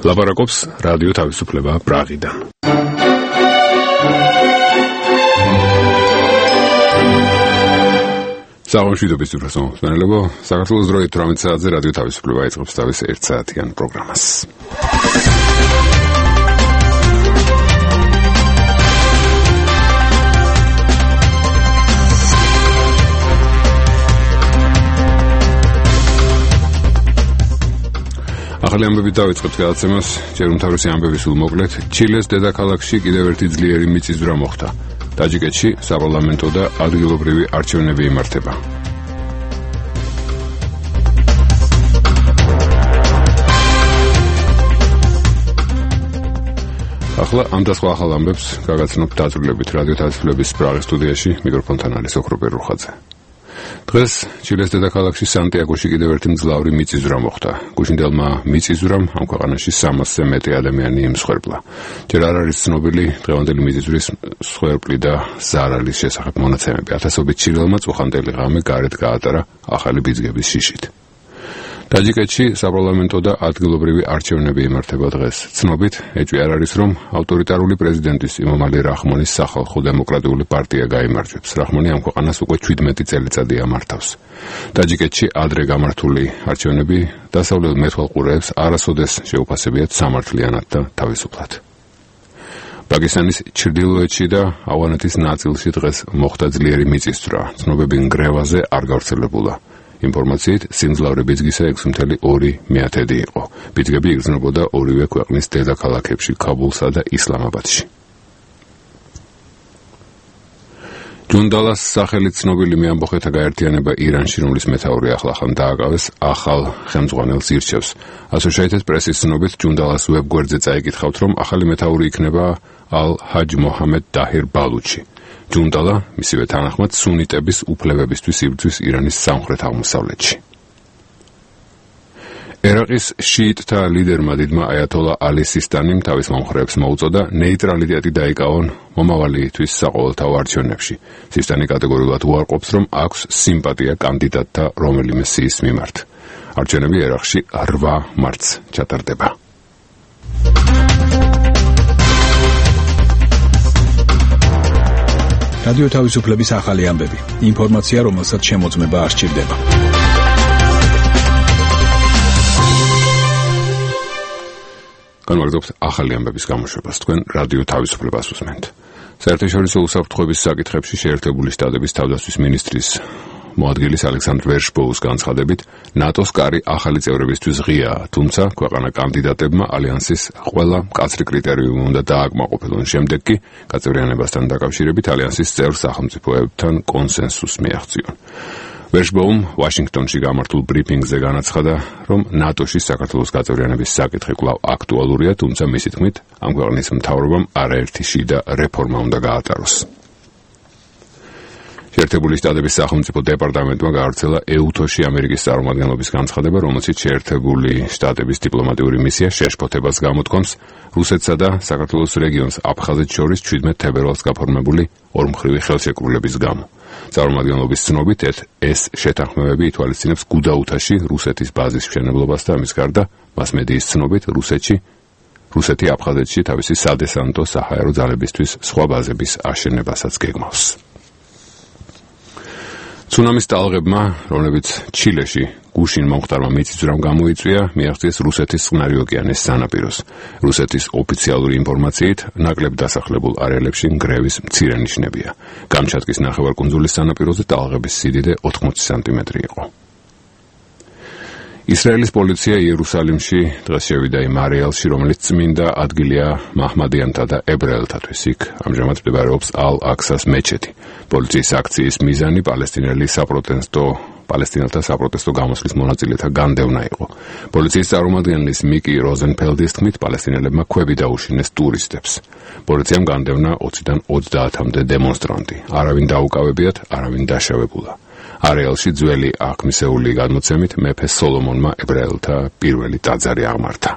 ლაპარაკობს რადიო თავისუფლება პრაღიდან. Საუბრობთ უბრალოდ საქართველოს დროით 18 საათზე რადიო თავისუფლება იწყებს თავის 1 საათიან პროგრამას. ახალი ამბები დავიწყებთ გადაცემას, ჯერ უმთავრესი ამბები სულ მოკლედ. ჩილეს დედაქალაქში კიდევ ერთი ძლიერი მიწისძვრა მოხდა. ტაჯიკეთში საპარლამენტო და ადგილობრივი არჩევნები იმართება. ახლა ამ და სხვა ახალ ამბებს გაგაცნობთ დაწვრილებით რადიო თავისუფლების პრაღის სტუდიაში, მიკროფონთან არის ოქროპერ რუხაძე. დღეს ჩილეს დედაქალაქში სანტიაგოში კიდევ ერთი მძლავრი მიწისძვრა მოხდა. გუშინდელმა მიწისძვრამ ამ ქვეყანაში 300-ზე მეტი ადამიანი იმსხვერპლა. ჯერ არ არის ცნობილი დღევანდელი მიწისძვრის მსხვერპლი და ზარალის შესახებ მონაცემები. ათასობით ჩილელმა წუხანდელი ღამე გარეთ გაატარა ახალი ბიძგების შიშით. ტაჯიკეთში საპარლამენტო და ადგილობრივი არჩევნები იმართება დღეს. ცნობით, ეჭვი არ არის, რომ ავტორიტარული პრეზიდენტის იმომალი რახმონის სახალხო დემოკრატიული პარტია გაიმარჯვებს. რახმონი ამ ქვეყანას უკვე 17 წელიწადია მართავს. ტაჯიკეთში ადრე გამართული არჩევნები დასავლელ მეთვალყურეებს არასოდეს შეუფასებიათ სამართლიანად და თავისუფლად. პაკისტანის ჩრდილოეთში და ავღანეთის ნაწილში დღეს მოხდა ძლიერი მიწისძვრა. ცნობები ნგრევაზე არ გავრცელებულა. ინფორმაციით, სიმძლავრე ბიძგისა 6.2 იყო. ბიძგები იგრძნობოდა ორივე ქვეყნის დედაქალაქებში, ქაბულსა და ისლამაბადში. ჯუნდალას სახელით ცნობილი მეამბოხეთა გაერთიანება ირანში, რომლის მეთაური ახლახან დააკავეს, ახალ ხელმძღვანელს ირჩევს. Associated Press-ის ცნობით, ჯუნდალას ვებგვერდზე წაიკითხავთ, რომ ახალი მეთაური იქნება ალ-ჰაჯ მოჰამედ დაჰირ ბალუჩი. ჯუნდალა მისივე თანახმად სუნიტების უფლებებისთვის იბრძვის ირანის სამხრეთ აღმოსავლეთში. ერაყის შიიტთა ლიდერმა დიდმა აიათოლა ალი სისტანიმ თავის მომხრეებს მოუწოდა ნეიტრალიტეტი დაიკავონ მომავალი თვის საყოველთაო არჩევნებში. სისტანი კატეგორიულად უარყოფს, რომ აქვს სიმპათია კანდიდატთა რომელიმე სიის მიმართ. არჩევნები ერაყში 8 მარტს ჩატარდება. რადიო თავისუფლების ახალი ამბები. ინფორმაცია, რომელსაც შემოწმება არ სჭირდება. განვაგრძობთ ახალი ამბების გამოშვებას. თქვენ რადიო თავისუფლებას უსმენთ. საერთაშორისო უსაფრთხოების საკითხებში შეერთებული შტატების თავდაცვის მინისტრის მოადგილის ალექსანდრ ვერშბოუს განცხადებით, ნატოს კარი ახალი წევრებისთვის ღიაა, თუმცა ქვეყანა კანდიდატებმა ალიანსის ყველა მკაცრი კრიტერიუმი უნდა დააკმაყოფილონ. შემდეგ კი გაწევრიანებასთან დაკავშირებით ალიანსის წევრ სახელმწიფოებთან კონსენსუსს მიაღწიონ. ვერშბოუმ ვაშინგტონში გამართულ ბრიფინგზე განაცხადა, რომ ნატოში საქართველოს გაწევრიანების საკითხი კვლავ აქტუალურია, თუმცა მისი თქმით, ამ ქვეყნის მთავრობამ არაერთი შიდა რეფორმა უნდა გაატაროს. შეერთებული შტატების სახელმწიფო დეპარტამენტმა გაავრცელა ეუთოში ამერიკის წარმომადგენლობის განცხადება, რომელშიც შეერთებული შტატების დიპლომატიური მისია შეშფოთებას გამოთქვამს რუსეთსა და საქართველოს რეგიონს აფხაზეთს შორის 17 თებერვალს გაფორმებული ორმხრივი ხელშეკრულების გამო. წარმომადგენლობის ცნობით, ეს შეთანხმებები ითვალისწინებს გუდაუთაში რუსეთის ბაზის მშენებლობას და ამის გარდა მას მედიის ცნობით რუსეთი აფხაზეთში თავისი სადესანტო საჰაერო ძალებისთვის სხვა ბაზების აშენებასაც გეგმავს. ცუნამის ტალღებმა, რომლებიც ჩილეში გუშინ მომხდარმა მიწისძვრამ გამოიწვია, მიაღწიეს რუსეთის წყნარი ოკეანის სანაპიროს. რუსეთის ოფიციალური ინფორმაციით, ნაკლებ დასახლებულ არეალებში ნგრევის მცირე ნიშნებია. კამჩატკის ნახევარკუნძულის სანაპიროზე ტალღების სიდიდე 80 სანტიმეტრი იყო. ისრაელის პოლიცია იერუსალიმში დღეს შევიდა იმ არეალში, რომელიც წმინდა ადგილია მაჰმადიანთა და ებრაელთათვის. იქ ამჟამად მდებარეობს ალ-აქსას მეჩეთი. პოლიციის აქციის მიზანი პალესტინელთა საპროტესტო გამოსვლის მონაწილეთა განდევნა იყო. პოლიციის წარმომადგენლის მიკი როზენფელდის თქმით, პალესტინელებმა ქვები დაუშინეს ტურისტებს. პოლიციამ განდევნა 20-დან 30-მდე დემონსტრანტი. არავინ დაუკავებიათ, არავინ დაშავებულა. არეალში ძველი აღქმისეული გადმოცემით მეფე სოლომონმა ებრაელთა პირველი ტაძარი აღმართა.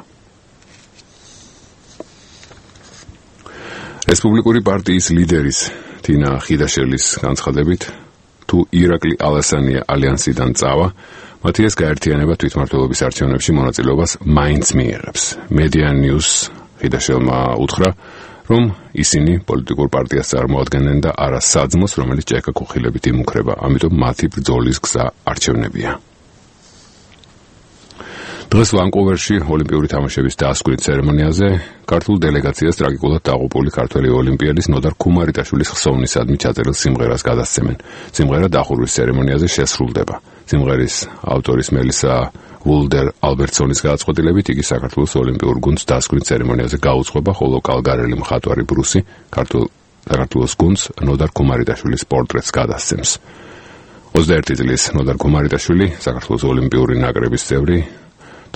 რესპუბლიკური პარტიის ლიდერის თინა ხიდაშელის განცხადებით, თუ ირაკლი ალასანია ალიანსიდან წავა, მათი ეს გაერთიანება თვითმმართველობის არჩევნებში მონაწილეობას მაინც მიიღებს. Media News ხიდაშელმა უთხრა, რომ ისინი პოლიტიკურ პარტიას წარმოადგენენ და არა საძმოს, რომელიც ჭექა-ქუხილებით იმუქრება, ამიტომ მათი ბრძოლის გზა არჩევნებია. დღეს ვანკუვერში ოლიმპიური თამაშების დასკვნის ცერემონიაზე ქართულ დელეგაციას ტრაგიკულად დაღუპული ქართველი ოლიმპიადის ნოდარ ქუმარიტაშვილის ხსოვნისადმი ჩაწერილ სიმღერას გადასცემენ. სიმღერა დახურვის ცერემონიაზე შესრულდება. სიმღერის ავტორის მელისა ვულდერ ალბერტსონის გადაწყვეტილებით იგი საქართველოს ოლიმპიურ გუნდს დასკვნის ცერემონიაზე გაუძღვება, ხოლო კალგარელი მხატვარი ბრუსი საქართველოს გუნდს ნოდარ ქუმარიტაშვილის პორტრეტს გადასცემს. 21 წლის ნოდარ ქუმარიტაშვილი საქართველოს ოლიმპიური ნაკრების წევრი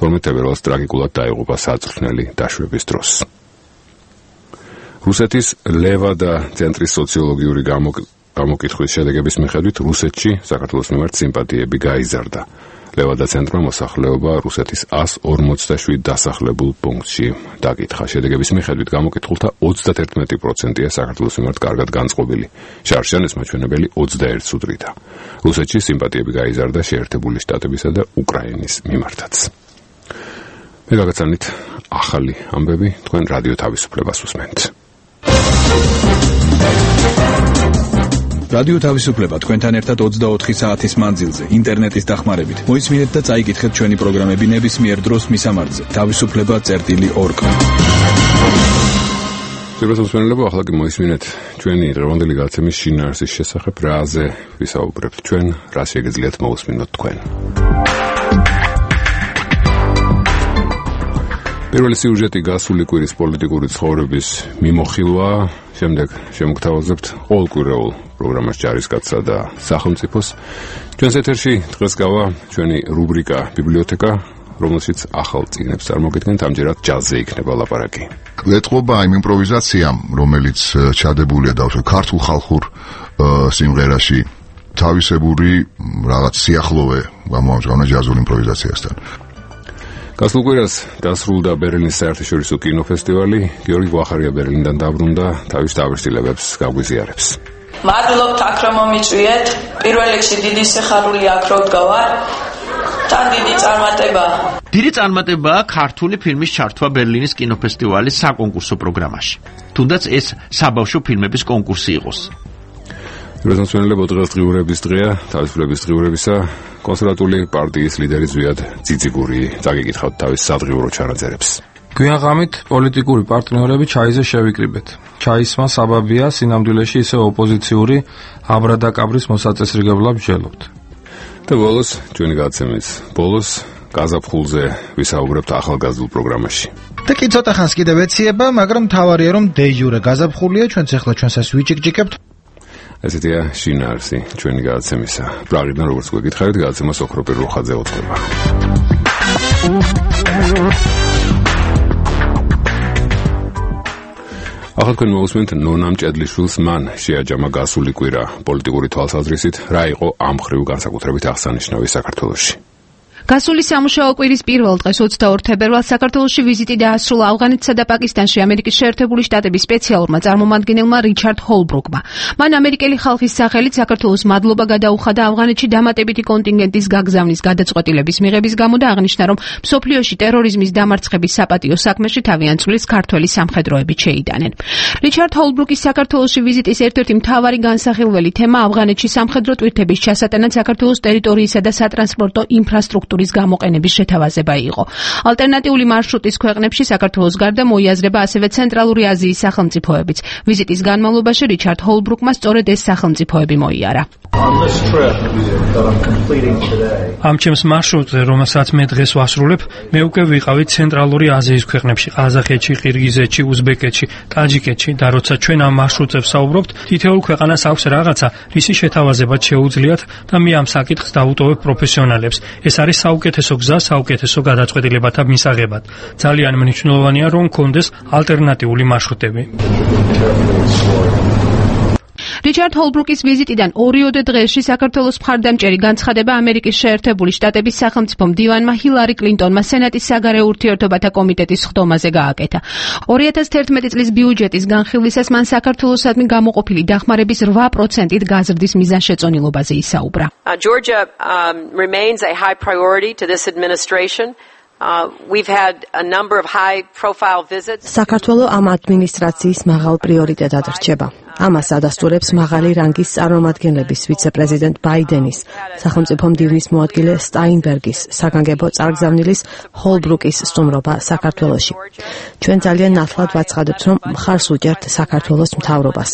12 თებერვალს ტრაგიკულად დაიღუპა საწვრთნელი დაშვების დროს. რუსეთის ლევა და ცენტრის სოციოლოგიური გამოკითხვის შედეგების მიხედვით რუსეთში საქართველოს მიმართ სიმპათიები გაიზარდა. ლევა და ცენტრმა მოსახლეობა რუსეთის 147 დასახლებულ პუნქტში დაკითხა. შედეგების მიხედვით გამოკითხულთა 31%-ია საქართველოს მიმართ კარგად განწყობილი. შარშანეს მაჩვენებელი 21-ს უდრიდა. რუსეთში სიმპათიები გაიზარდა შეერთებული შტატებისა და უკრაინის მიმართაც. მე გაგაცანით ახალი ამბები, თქვენ რადიო თავისუფლებას უსმენთ. რადიო თავისუფლება თქვენთან ერთად 24 საათის მანძილზე ინტერნეტის დახმარებით. მოისმინეთ და წაიკითხეთ ჩვენი პროგრამები ნებისმიერ დროს მისამართზე. თავისუფლება.org. შევასრულებთ, ახლა კი მოისმინეთ ჩვენი დღევანდელი გადაცემის შინაარსის შესახებ, რაზე ვისაუბრებთ ჩვენ, რა შეგიძლიათ მოусმინოთ თქვენ. პირველი სიუჟეტი გასული კვირის პოლიტიკური ცხოვრების მიმოხილვა, შემდეგ შემოგთავაზებთ ყოველკვირეულ პროგრამას ჯარისკაცსა და სახელმწიფოს. ჩვენს ეთერში დღეს გავა ჩვენი რუბრიკა ბიბლიოთეკა, რომელშიც ახალ წიგნებს წარმოგიდგენთ, ამჯერად ჯაზზე იქნება ლაპარაკი. ეტყობა იმ იმპროვიზაციამ, რომელიც ჩადებულია დავსვათ ქართულ ხალხურ სიმღერაში, თავისებური რაღაც სიახლოვე გამოამჟღავნა ჯაზურ იმპროვიზაციასთან. გასულ კვირას დასრულდა ბერლინის საერთაშორისო კინოფესტივალი. გიორგი გვახარია ბერლინიდან დაბრუნდა, თავის დაავირსილებებს გაგვიზიარებს. მადლობთ აქ რომ მომიწვიეთ. პირველ რიგში დიდი სიხარული აქ რომ ვდგავარ. თან დიდი წარმატება. დიდი წარმატებაა ქართული ფილმის ჩართვა ბერლინის კინოფესტივალის საკონკურსო პროგრამაში. თუნდაც ეს საბავშვო ფილმების კონკურსი იყოს. რეზონსვენლებო დღეს დღიურების დღეა, თავისუფლების დღიურებისა. კონსერვატული პარტიის ლიდერი ზვიად ციციგური წაგიკითხავთ თავის სადღიურო ჩანაწერებს. გვიანღამით პოლიტიკური პარტნიორები ჩაიზე შევიკრიბეთ. ჩაისმა საბაბია სინამდვილეში ისე ოპოზიციური აბრადაკაბრის მოსაწესრიგებლად ვჯელობთ. და ბოლოს ჩვენი გადაცემის ბოლოს გაზაფხულზე ვისაუბრებთ ახალგაზრდულ პროგრამაში. და კი ცოტა ხანს კიდევ ეციება, მაგრამ თავარია რომ დე-იურე გაზაფხულია, ჩვენც ახლა ჩვენსაც ვიჭიკჭიკებთ. ესეთია შინაარსი ჩვენი გადაცემისა. პრაღიდან როგორც გვეკითხავით, გადაცემას ოქროპირ რუხაძე უწყება. ახლა თქვენ მოусმენთ ნონამ ჭედლიშვილს მან შეაჯამა გასული კვირა პოლიტიკური თვალსაზრისით, რა იყო ამ ხრივ განსაკუთრებით აღსანიშნავი საქართველოში. გასული სამუშაო კვირის პირველ დღეს 22 თებერვალს საქართველოში ვიზიტი დაასრულა ავღანეთსა და პაკისტანში ამერიკის შეერთებული შტატების სპეციალურმა წარმომადგენელმა რიჩარდ ჰოლბრუკმა. მან ამერიკელი ხალხის სახელით საქართველოს მადლობა გადაუხადა ავღანეთში დამატებითი კონტინგენტის გაგზავნის გადაწყვეტილების მიღების გამო და აღნიშნა, რომ მსოფლიოში ტერორიზმის დამარცხების საპატიო საქმეში თავიანთ წვლილს ქართველი სამხედროები შეიტანენ. რიჩარდ ჰოლბრუკის საქართველოში ვიზიტის ერთ-ერთი მთავარი განსახილველი თემა ავღანეთში სამხედრო ტვირთების ჩასატანად საქართველოს ტერიტორიისა და სატრანსპორტო ინფრასტრუქტურის გამოყენების შეთავაზება იყო. ალტერნატიული მარშრუტის ქვეყნებში საქართველოს გარდა მოიაზრება ასევე ცენტრალური აზიის სახელმწიფოებიც. ვიზიტის განმავლობაში რიჩარდ ჰოლბრუკმა სწორედ ეს სახელმწიფოები მოიარა. ამ ჩემს მარშრუტზე, რომელსაც მე დღეს ვასრულებ, მე უკვე ვიყავი ცენტრალური აზიის ქვეყნებში, ყაზახეთში, ყირგიზეთში, უზბეკეთში, ტაჯიკეთში და როცა ჩვენ ამ მარშრუტზე ვსაუბრობთ, თითოეულ ქვეყანას აქვს რაღაცა, რისი შეთავაზებაც შეუძლიათ და მე ამ საკითხს დავუტოვებ პროფესიონალებს. ეს არის საუკეთესო გზა, საუკეთესო გადაწყვეტილებათა მისაღებად. ძალიან მნიშვნელოვანია, რომ გქონდეს ალტერნატიული მარშრუტები. რიჩარდ ჰოლბრუკის ვიზიტიდან 2 დღეში საქართველოს მხარდამჭერი განცხადება ამერიკის შეერთებული შტატების სახელმწიფო მდივანმა ჰილარი კლინტონმა სენატის საგარეო ურთიერთობათა კომიტეტის ხდომაზე გააკეთა. 2011 წლის ბიუჯეტის განხილვისას მან საქართველოსადმი გამოყოფილი დახმარების 8%-ით გაზრდის მიზანშეწონილობაზე ისაუბრა. Georgia remains a high priority to this administration. We've had a number of high-profile visits. საქართველო ამ ადმინისტრაციის მაღალ პრიორიტეტად რჩება. ამას ადასტურებს მაღალი რანგის წარმომადგენლების ვიცე-პრეზიდენტ ბაიდენის, სახელმწიფო მდივნის მოადგილე სტაინბერგის, საგანგებო წარგზავნილის ჰოლბრუკის სტუმრობა საქართველოში. ჩვენ ძალიან ნათლად ვაცხადებთ, რომ მხარს უჭერთ საქართველოს მთავრობას.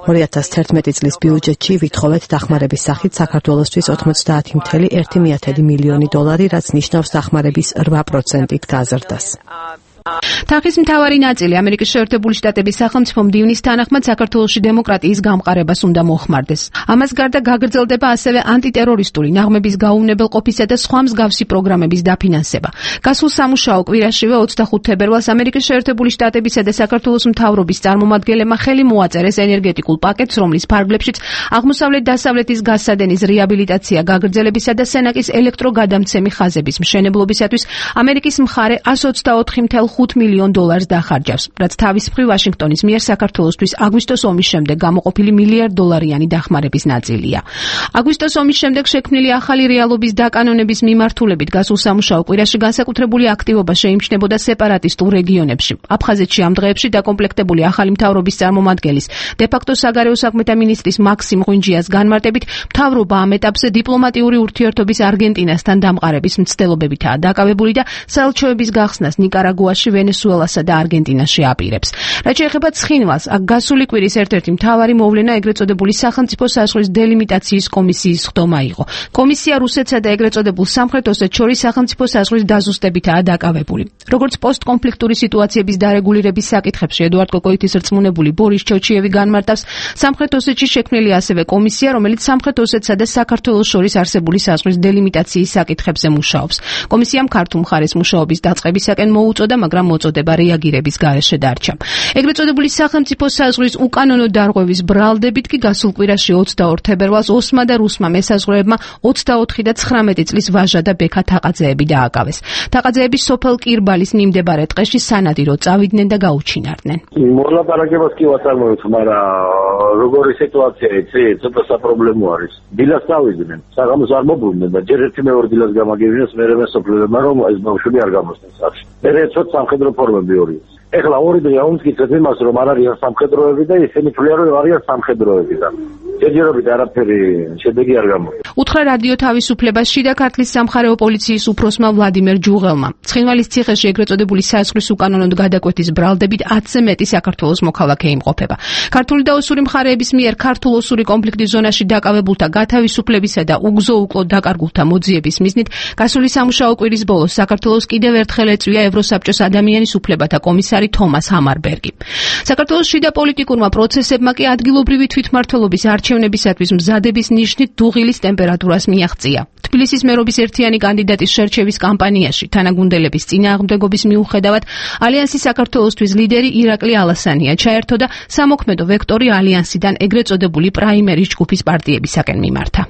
2011 წლის ბიუჯეტში ვითხოვეთ დახმარების სახით საქართველოსთვის 90.1 მილიონი დოლარი, რაც ნიშნავს დახმარების 8%-ით გაზრდას. თახის მთავარი ნაწილი ამერიკის შეერთებული შტატების სახელმწიფო მდივნის თანახმად საქართველოში დემოკრატიის გამყარებას უნდა მოხმარდეს. ამას გარდა გაგრძელდება ასევე ანტიტერორისტული ნაღმების გაუვნებელყოფისა და სხვა მსგავსი პროგრამების დაფინანსება. გასულ სამუშაო კვირაშივე 25 თებერვალს ამერიკის შეერთებული შტატებისა და საქართველოს მთავრობის წარმომადგენლებმა ხელი მოაწერეს ენერგეტიკულ პაკეტს, რომლის ფარგლებშიც აღმოსავლეთ-დასავლეთის გასადენის რეაბილიტაცია გაგრძელებისა და სენაკის ელექტროგადამცემი ხაზების მშენებლობისათვის ამერიკის მხარე 124.5 მილიონ დოლარს დახარჯავს, რაც თავის მხრივ ვაშინგტონის მიერ საქართველოსთვის აგვისტოს ომის შემდეგ გამოყოფილი $1 დახმარების ნაწილია. აგვისტოს ომის შემდეგ შექმნილი ახალი რეალობის დაკანონების მიმართულებით გასულ სამუშაო კვირაში განსაკუთრებული აქტივობა შეიმჩნებოდა სეპარატისტულ რეგიონებში. აფხაზეთში ამ დღეებში დაკომპლექტებული ახალი მთავრობის წარმომადგენლის, დე-ფაქტო საგარეო საქმეთა მინისტრის მაქსიმ ღვინჯიას განმარტებით, მთავრობა ამ ეტაპზე დიპლომატიური ურთიერთობის არგენტინასთან დამყარების მცდელობებითაა დაკავებული და საელჩოების გახსნას ნიკარაგუაში, ვენესუელასა და არგენტინაში აპირებს. რაც შეეხება ცხინვალს, აქ გასული კვირის ერთ-ერთი მთავარი მოვლენა ეგრეთ წოდებული სახელმწიფო საზღვრის დელიმიტაციის კომისიის ხდომა იყო. კომისია რუსეთსა და ეგრეთ წოდებულ სამხრეთ ოსეთს შორის სახელმწიფო საზღვრის დაზუსტებითაა დაკავებული. როგორც პოსტკონფლიქტური სიტუაციების დარეგულირების საკითხებში ედუარდ კოკოითის რწმუნებული ბორის ჩოჩიევი განმარტავს, სამხრეთ ოსეთში შექმნილი ასევე კომისია, რომელიც სამხრეთ ოსეთსა და საქართველოს შორის არსებული საზღვრის დელიმიტაციის საკითხებზე მუშაობს. კომისიამ ქართულ მხარეს მუშაობის დაწყებისაკენ მოუწოდა, მაგრამ მოწოდება რეაგირების გარეშე დარჩა. ეგრეთ წოდებული სახელმწიფო საზღვრის უკანონო დარღვევის ბრალდებით კი გასულ კვირაში 22 თებერვალს ოსმა და რუსმა მესაზღვრეებმა 24 და 19 წლის ვაჟა და ბექა თაყაძეები დააკავეს. თაყაძეები სოფელ კირბალის მიმდებარე ტყეში სანადირო წავიდნენ და გაუჩინარდნენ. მოლაპარაკებას კი ვაწარმოებთ, მაგრამ როგორი სიტუაცია იცი, ცოტა საპრობლემო არის. დილას წავიდნენ, საღამოს არ მობრუნდნენ და ჯერ ერთი მეორე დილას გამაგებინეს, მერე სოფლებმა რომ ეს ბავშვები არ გამოსდნენ სახში. მერე ცოტა სამხედრო ფორმები ორი. ეხლა ორი დღეა უმტკიცეთ იმას, რომ არ არიან სამხედროები და ისინი თვლიან, რომ არიან სამხედროები და ჯერჯერობით არაფერი შედეგი არ გამოდის. უთხრა რადიო თავისუფლებას შიდა ქართლის სამხარეო პოლიციის უფროსმა ვლადიმერ ჯუღელმა. ცხინვალის ციხეში ეგრეთ წოდებული საზღვრის უკანონოდ გადაკვეთის ბრალდებით 10-ზე მეტი საქართველოს მოქალაქე იმყოფება. ქართული და ოსური მხარეების მიერ ქართულ-ოსური კონფლიქტის ზონაში დაკავებულთა გათავისუფლებისა და უგზო-უკლოდ დაკარგულთა მოძიების მიზნით გასული სამუშაო კვირის ბოლოს საქართველოს კიდევ ერთხელ ეწვია ევროსაბჭოს ადამიანის უფლებათა კომისარი თომას ჰამარბერგი. საქართველოს შიდა პოლიტიკურმა პროცესებმა კი ადგილობრივი თვითმმართველობის არჩევნებისათვის მზადების ნიშნით დუღილის ტემპერატურას მიაღწია. თბილისის მერობის ერთიანი კანდიდატის შერჩევის კამპანიაში თანაგუნდელების წინააღმდეგობის მიუხედავად ალიანსის საქართველოსთვის ლიდერი ირაკლი ალასანია ჩაერთო და სამოქმედო ვექტორი ალიანსიდან ეგრეთ წოდებული პრაიმერის ჯგუფის პარტიებისაკენ მიმართა.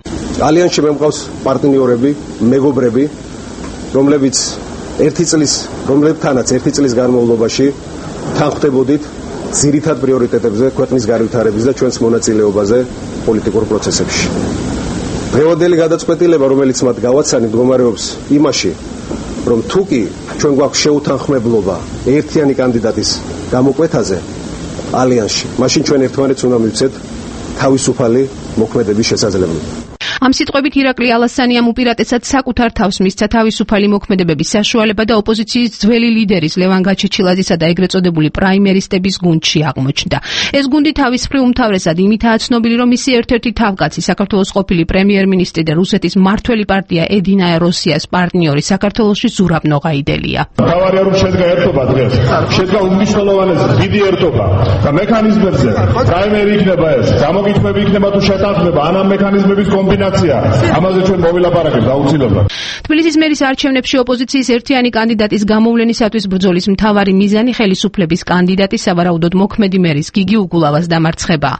ალიანსში მემყავს პარტნიორები, მეგობრები, რომლებთანაც ერთი წლის განმავლობაში თან ხვდებოდით ძირითად პრიორიტეტებზე, ქვეყნის განვითარების და ჩვენს მონაწილეობაზე პოლიტიკურ პროცესებში. დღევანდელი გადაწყვეტილება, რომელიც მათ გავაცანით, მდგომარეობს იმაში, რომ თუ კი ჩვენ გვაქვს შეუთანხმებლობა ერთიანი კანდიდატის გამოკვეთაზე ალიანსში, მაშინ ჩვენ ერთმანეთს უნდა მივცეთ თავისუფალი მოქმედების შესაძლებლობა. ამ სიტყვებით ირაკლი ალასანიამ უპირატესად საკუთარ თავს მისცა თავისუფალი მოქმედებების საშუალება და ოპოზიციის ძველი ლიდერის ლევან გაჩეჩილაძისა და ეგრეთ წოდებული პრაიმერისტების გუნდში აღმოჩნდა. ეს გუნდი თავის მხრივ უმთავრესად იმითაა ცნობილი, რომ მისი ერთ-ერთი თავკაცი საქართველოს ყოფილი პრემიერ-მინისტრი და რუსეთის მმართველი პარტია ედინაე როსიას პარტნიორი საქართველოში ზურაბ ნოღაიდელია. თავარია რომ შედგა ერთობა დღეს. შედგა უმნიშვნელოვანესი დიდი ერთობა და მექანიზმებზე პრაიმერი იქნება ეს. გამოგიტყვები იქნება თუ შეთანხმება ან ამ მექანიზმების კომბინაცია ნომინაცია. ამაზე ჩვენ მოვილაპარაკებთ აუცილებლად. თბილისის მერის არჩევნებში ოპოზიციის ერთიანი კანდიდატის გამოვლენისათვის ბრძოლის მთავარი მიზანი ხელისუფლების კანდიდატის სავარაუდოდ მოქმედი მერის გიგი უგულავას დამარცხება.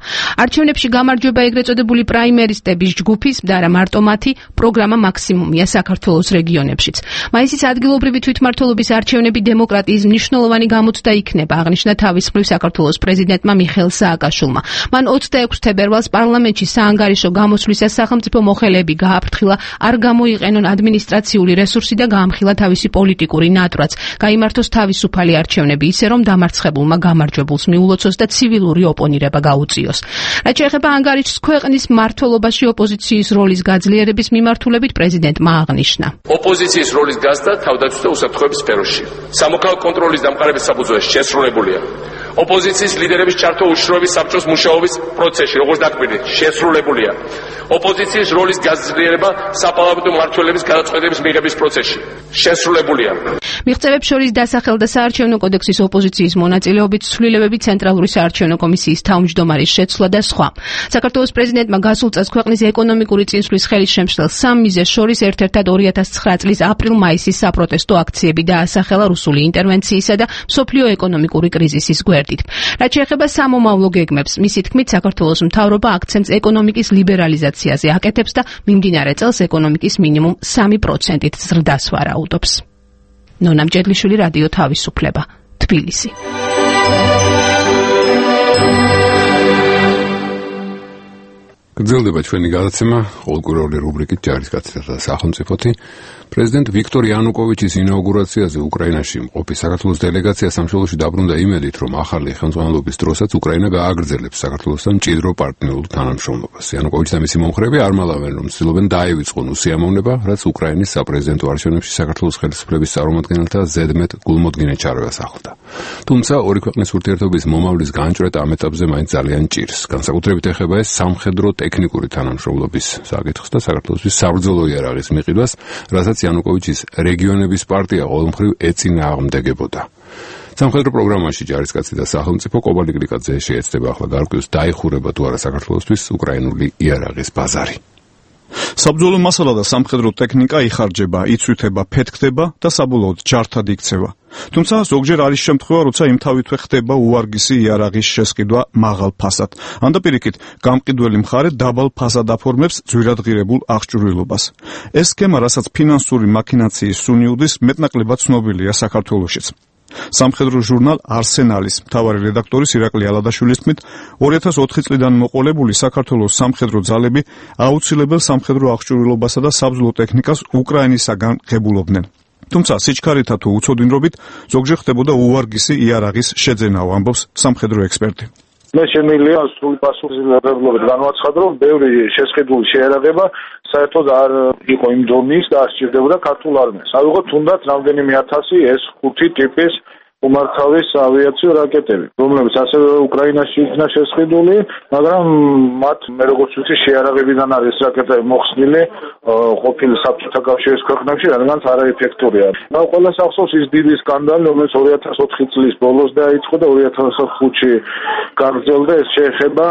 არჩევნებში გამარჯვება ეგრეთ წოდებული პრაიმერისტების ჯგუფის და არა მარტო მათი პროგრამა მაქსიმუმია საქართველოს რეგიონებშიც. მაისის ადგილობრივი თვითმმართველობის არჩევნები დემოკრატიის მნიშვნელოვანი გამოცდა იქნება, აღნიშნა თავის მხრივ საქართველოს პრეზიდენტმა მიხეილ სააკაშვილმა. მან 26 თებერვალს პარლამენტში საანგარიშო გამოსვლისას სახელმწიფო მოხელეები გააფრთხილა არ გამოიყენონ ადმინისტრაციული რესურსი და გაამხილა თავისი პოლიტიკური ნატრაც. გაიმართოს თავისუფალი არჩევნები ისე რომ დამარცხებულმა გამარჯვებულს მიულოცოს და ცივილური ოპონირება გაუწიოს. რაც შეეხება ანგარიშს ქვეყნის მმართველობაში ოპოზიციის როლის გაძლიერების მიმართულებით პრეზიდენტმა აღნიშნა. ოპოზიციის როლის გაზრდა თავდაცვის და უსაფრთხოების სფეროში. სამოქალაქო კონტროლის დამყარების საფუძველზე შესრულებულია. ოპოზიციის ლიდერების ჩართვა უშიშროების საბჭოს მუშაობის პროცესში, როგორც დაკვირდი, შესრულებულია. ოპოზიციის როლის გაძლიერება საპარლამენტო მმართველების გადაწყვეტების მიღების პროცესში შესრულებულია. მიღწევებს შორის დასახელდა საარჩევნო კოდექსის ოპოზიციის მონაწილეობით ცვლილებები ცენტრალური საარჩევნო კომისიის თავმჯდომარის შეცვლა და სხვა. საქართველოს პრეზიდენტმა გასულ წელს ქვეყნის ეკონომიკური წინსვლის ხელის შემშლელ სამ მიზეზს შორის ერთ-ერთად 2009 წლის აპრილ-მაისის საპროტესტო აქციები დაასახელა რუსული ინტერვენციისა და მსოფლიო ეკონომიკური კრიზისის გვერდით. რაც შეეხება სამომავლო გეგმებს, მისი თქმით, საქართველოს მთავრობა აქცენტს ეკონომიკის ლიბერალიზაციაზე აკეთებს და მიმდინარე წელს ეკონომიკის მინიმუმ 3%-ით ზრდას ვარაუდობს. ნონა მჭედლიშვილი, რადიო თავისუფლება, თბილისი. გრძელდება ჩვენი გადაცემა ყოველკვირეული რუბრიკით ჯარისკაცთა და სახელმწიფოთი. პრეზიდენტ ვიქტორ იანუკოვიჩის ინაუგურაციაზე უკრაინაში მყოფი საქართველოს დელეგაცია სამშობლოში დაბრუნდა იმედით, რომ ახალი ხელმძღვანელობის დროსაც უკრაინა გააგრძელებს საქართველოსთან მჭიდრო პარტნიორულ თანამშრომლობას. იანუკოვიჩი და მისი მომხრეები არ მალავენ, რომ ცდილობენ დაივიწყონ უსიამოვნება, რაც უკრაინის საპრეზიდენტო არჩევნებში საქართველოს ხელისუფლების წარმომადგენელთა ზედმეტ გულმოდგინედ ჩარევას ახლდა. თუმცა ორი ქვეყნის ურთიერთობის მომავლის განჭვრეტა ამ ეტაპზე მაინც ძალიან ჭირს. განსაკუთრებით ეხება ეს სამხედრო ტექნიკური თანამშრომლობის საკითხს და საქართველოსთვის საბრძოლო იარაღის მიყიდვას, რასაც იანუკოვიჩის რეგიონების პარტია ყოველმხრივ ეწინააღმდეგებოდა. სამხედრო პროგრამაში ჯარისკაცი და სახელმწიფო კობალი გლიკაძე შეეცდება ახლა გარკვეულს დაიხურება თუ არა საქართველოსთვის უკრაინული იარაღის ბაზარი. საბრძოლო მასალა და სამხედრო ტექნიკა იხარჯება, იცვითება, ფეთქდება და საბოლოოდ ჯართად იქცევა. თუმცა ზოგჯერ არის შემთხვევა, როცა იმთავითვე ხდება უვარგისი იარაღის შესყიდვა მაღალ ფასად. ან და პირიქით, გამყიდველი მხარე დაბალ ფასად აფორმებს ძვირადღირებულ აღჭურვილობას. ეს სქემა, რასაც ფინანსური მაქინაციის სუნი უდის, მეტნაკლებად ცნობილია საქართველოშიც. სამხედრო ჟურნალ არსენალის მთავარი რედაქტორის ირაკლი ალადაშვილის თქმით, 2004 წლიდან მოყოლებული საქართველოს სამხედრო ძალები აუცილებელ სამხედრო აღჭურვილობასა და საბრძოლო ტექნიკას უკრაინისაგან ღებულობდნენ. თუმცა სიჩქარეთა თუ უცოდინრობით ზოგჯერ ხდებოდა უვარგისი იარაღის შეძენაო, ამბობს სამხედრო ექსპერტი. მე შემიძლია სრული პასუხისმგებლობით განვაცხადო, რომ ბევრი შესყიდული შეიარაღება საერთოდ არ იყო იმ დონის და არ სჭირდებოდა ქართულ არმიას. ავიღოთ თუნდაც რამდენიმე ათასი S5 ტიპის უმართავის ავიაციო რაკეტები, რომლებიც ასევე უკრაინაში იქნა შესყიდული, მაგრამ მათ მე როგორც ვიცი შეიარაღებიდან არის რაკეტები მოხსნილი ყოფილი საბჭოთა კავშირის ქვეყნებში, რადგანაც არაეფექტურია. და ყველას ახსოვს ის დიდი სკანდალი, რომელიც 2004 წლის ბოლოს დაიწყო და 2005-ში გაგრძელდა. ეს შეეხება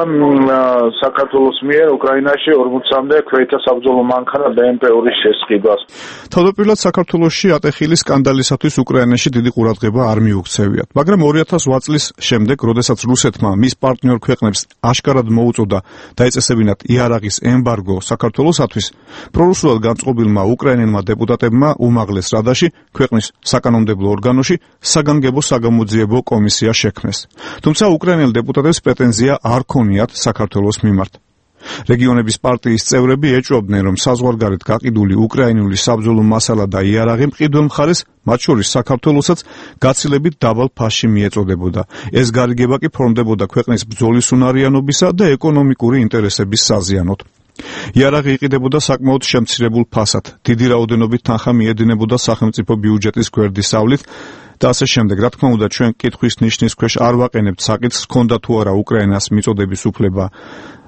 საქართველოს მიერ უკრაინაში 40-მდე ქვეითთა საბრძოლო მანქანა BMP-2-ის შესყიდვას. თავდაპირველად საქართველოში ატეხილი სკანდალისათვის უკრაინაში დიდი ყურადღება არ მიუქცევიათ, მაგრამ 2008 წლის შემდეგ, როდესაც რუსეთმა მის პარტნიორ ქვეყნებს აშკარად მოუწოდა დაეწესებინათ იარაღის ემბარგო საქართველოსათვის, პრორუსულად განწყობილმა უკრაინელმა დეპუტატებმა უმაღლეს რადაში, ქვეყნის საკანონმდებლო ორგანოში საგანგებო საგამოძიებო კომისია შექმნეს. თუმცა უკრაინელ დეპუტატებს პრეტენზია არ ქონიათ საქართველოს მიმართ. რეგიონების პარტიის წევრები ეჭვობდნენ, რომ საზღვარგარეთ გაყიდული უკრაინული საბრძოლო მასალა და იარაღი მყიდველ მხარეს, მათ შორის საქართველოსაც, გაცილებით დაბალ ფასში მიეწოდებოდა. ეს გარიგება კი ფორმდებოდა ქვეყნის ბრძოლის უნარიანობისა და ეკონომიკური ინტერესების საზიანოდ. იარაღი იყიდებოდა საკმაოდ შემცირებულ ფასად, დიდი რაოდენობით თანხა მიედინებოდა სახელმწიფო ბიუჯეტის გვერდისავლით და ასე შემდეგ. რა თქმა უნდა, ჩვენ კითხვის ნიშნის ქვეშ არ ვაყენებთ საკითხს, ჰქონდა თუ არა უკრაინას მიწოდების უფლება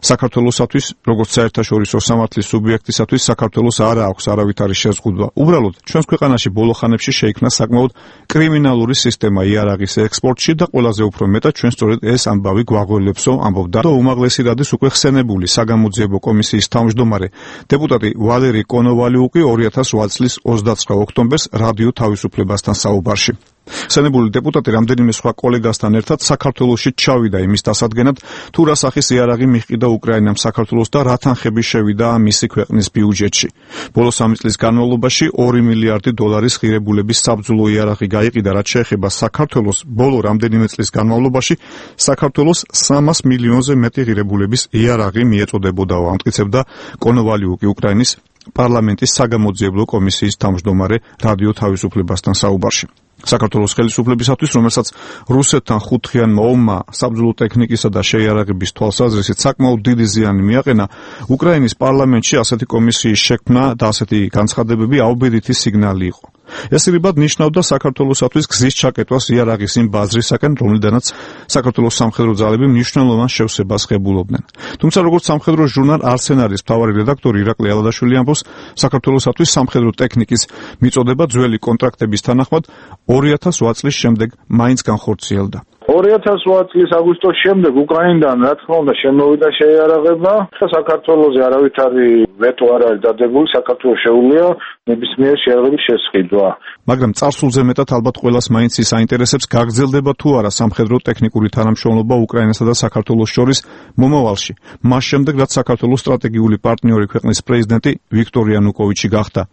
საქართველოსათვის, როგორც საერთაშორისო სამართლის სუბიექტისათვის, საქართველოს არ აქვს არავითარი შეზღუდვა. უბრალოდ, ჩვენს ქვეყანაში ბოლო ხანებში შეიქმნა საკმაოდ კრიმინალური სისტემა იარაღის ექსპორტში და ყველაზე უფრო მეტად ჩვენ სწორედ ეს ამბავი გვაღველებსო, ამბობდა უმაღლესი რადის უკვე ხსენებული საგამოძიებო კომისიის თავმჯდომარე დეპუტატი ვალერი კონოვალიუკი 2008 წლის 29 ოქტომბერს რადიო თავისუფლებასთან საუბარში. ხსენებული დეპუტატი რამდენიმე სხვა კოლეგასთან ერთად საქართველოში ჩავიდა იმის დასადგენად, თუ რა სახის იარაღი მიჰყიდა უკრაინამ საქართველოს და რა თანხები შევიდა მისი ქვეყნის ბიუჯეტში. ბოლო 3 წლის განმავლობაში 2 მილიარდი დოლარის ღირებულების საბრძოლო იარაღი გაიყიდა, რაც შეეხება საქართველოს. ბოლო რამდენიმე წლის განმავლობაში საქართველოს 300 მილიონზე მეტი ღირებულების იარაღი მიეწოდებოდაო, ამტკიცებდა კონოვალიუკი უკრაინის პარლამენტის საგამოძიებლო კომისიის თავმჯდომარე რადიო თავისუფლებასთან საუბარში. საქართველოს ხელისუფლებისათვის, რომელსაც რუსეთთან ხუთხიანმა ომმა საბრძოლო ტექნიკისა და შეიარაღების თვალსაზრისით საკმაოდ დიდი ზიანი მიაყენა, უკრაინის პარლამენტში ასეთი კომისიის შექმნა და ასეთი განცხადებები აუბედითი სიგნალი იყო. ეს ირიბად ნიშნავდა საქართველოსათვის გზის ჩაკეტვას იარაღის იმ ბაზრისაკენ, რომლიდანაც საქართველოს სამხედრო ძალები მნიშვნელოვან შევსებას ღებულობდნენ. თუმცა, როგორც სამხედრო ჟურნალ არსენალის მთავარი რედაქტორი ირაკლი ალადაშვილი ამბობს, საქართველოსათვის სამხედრო ტექნიკის მიწოდება ძველი კონტრაქტების თანახმად 2008 წლის შემდეგ მაინც განხორციელდა. 2008 წლის აგვისტოს შემდეგ უკრაინიდან რა თქმა უნდა შემოვიდა შეიარაღება და საქართველოზე არავითარი ვეტო არ არის დადებული, საქართველოს შეუძლია ნებისმიერ შეიარაღების შესყიდვა. მაგრამ წარსულზე მეტად ალბათ ყველას მაინც ის აინტერესებს, გაგრძელდება თუ არა სამხედრო ტექნიკური თანამშრომლობა უკრაინასა და საქართველოს შორის მომავალში, მას შემდეგ რაც საქართველოს სტრატეგიული პარტნიორი ქვეყნის პრეზიდენტი ვიქტორ იანუკოვიჩი გახდა.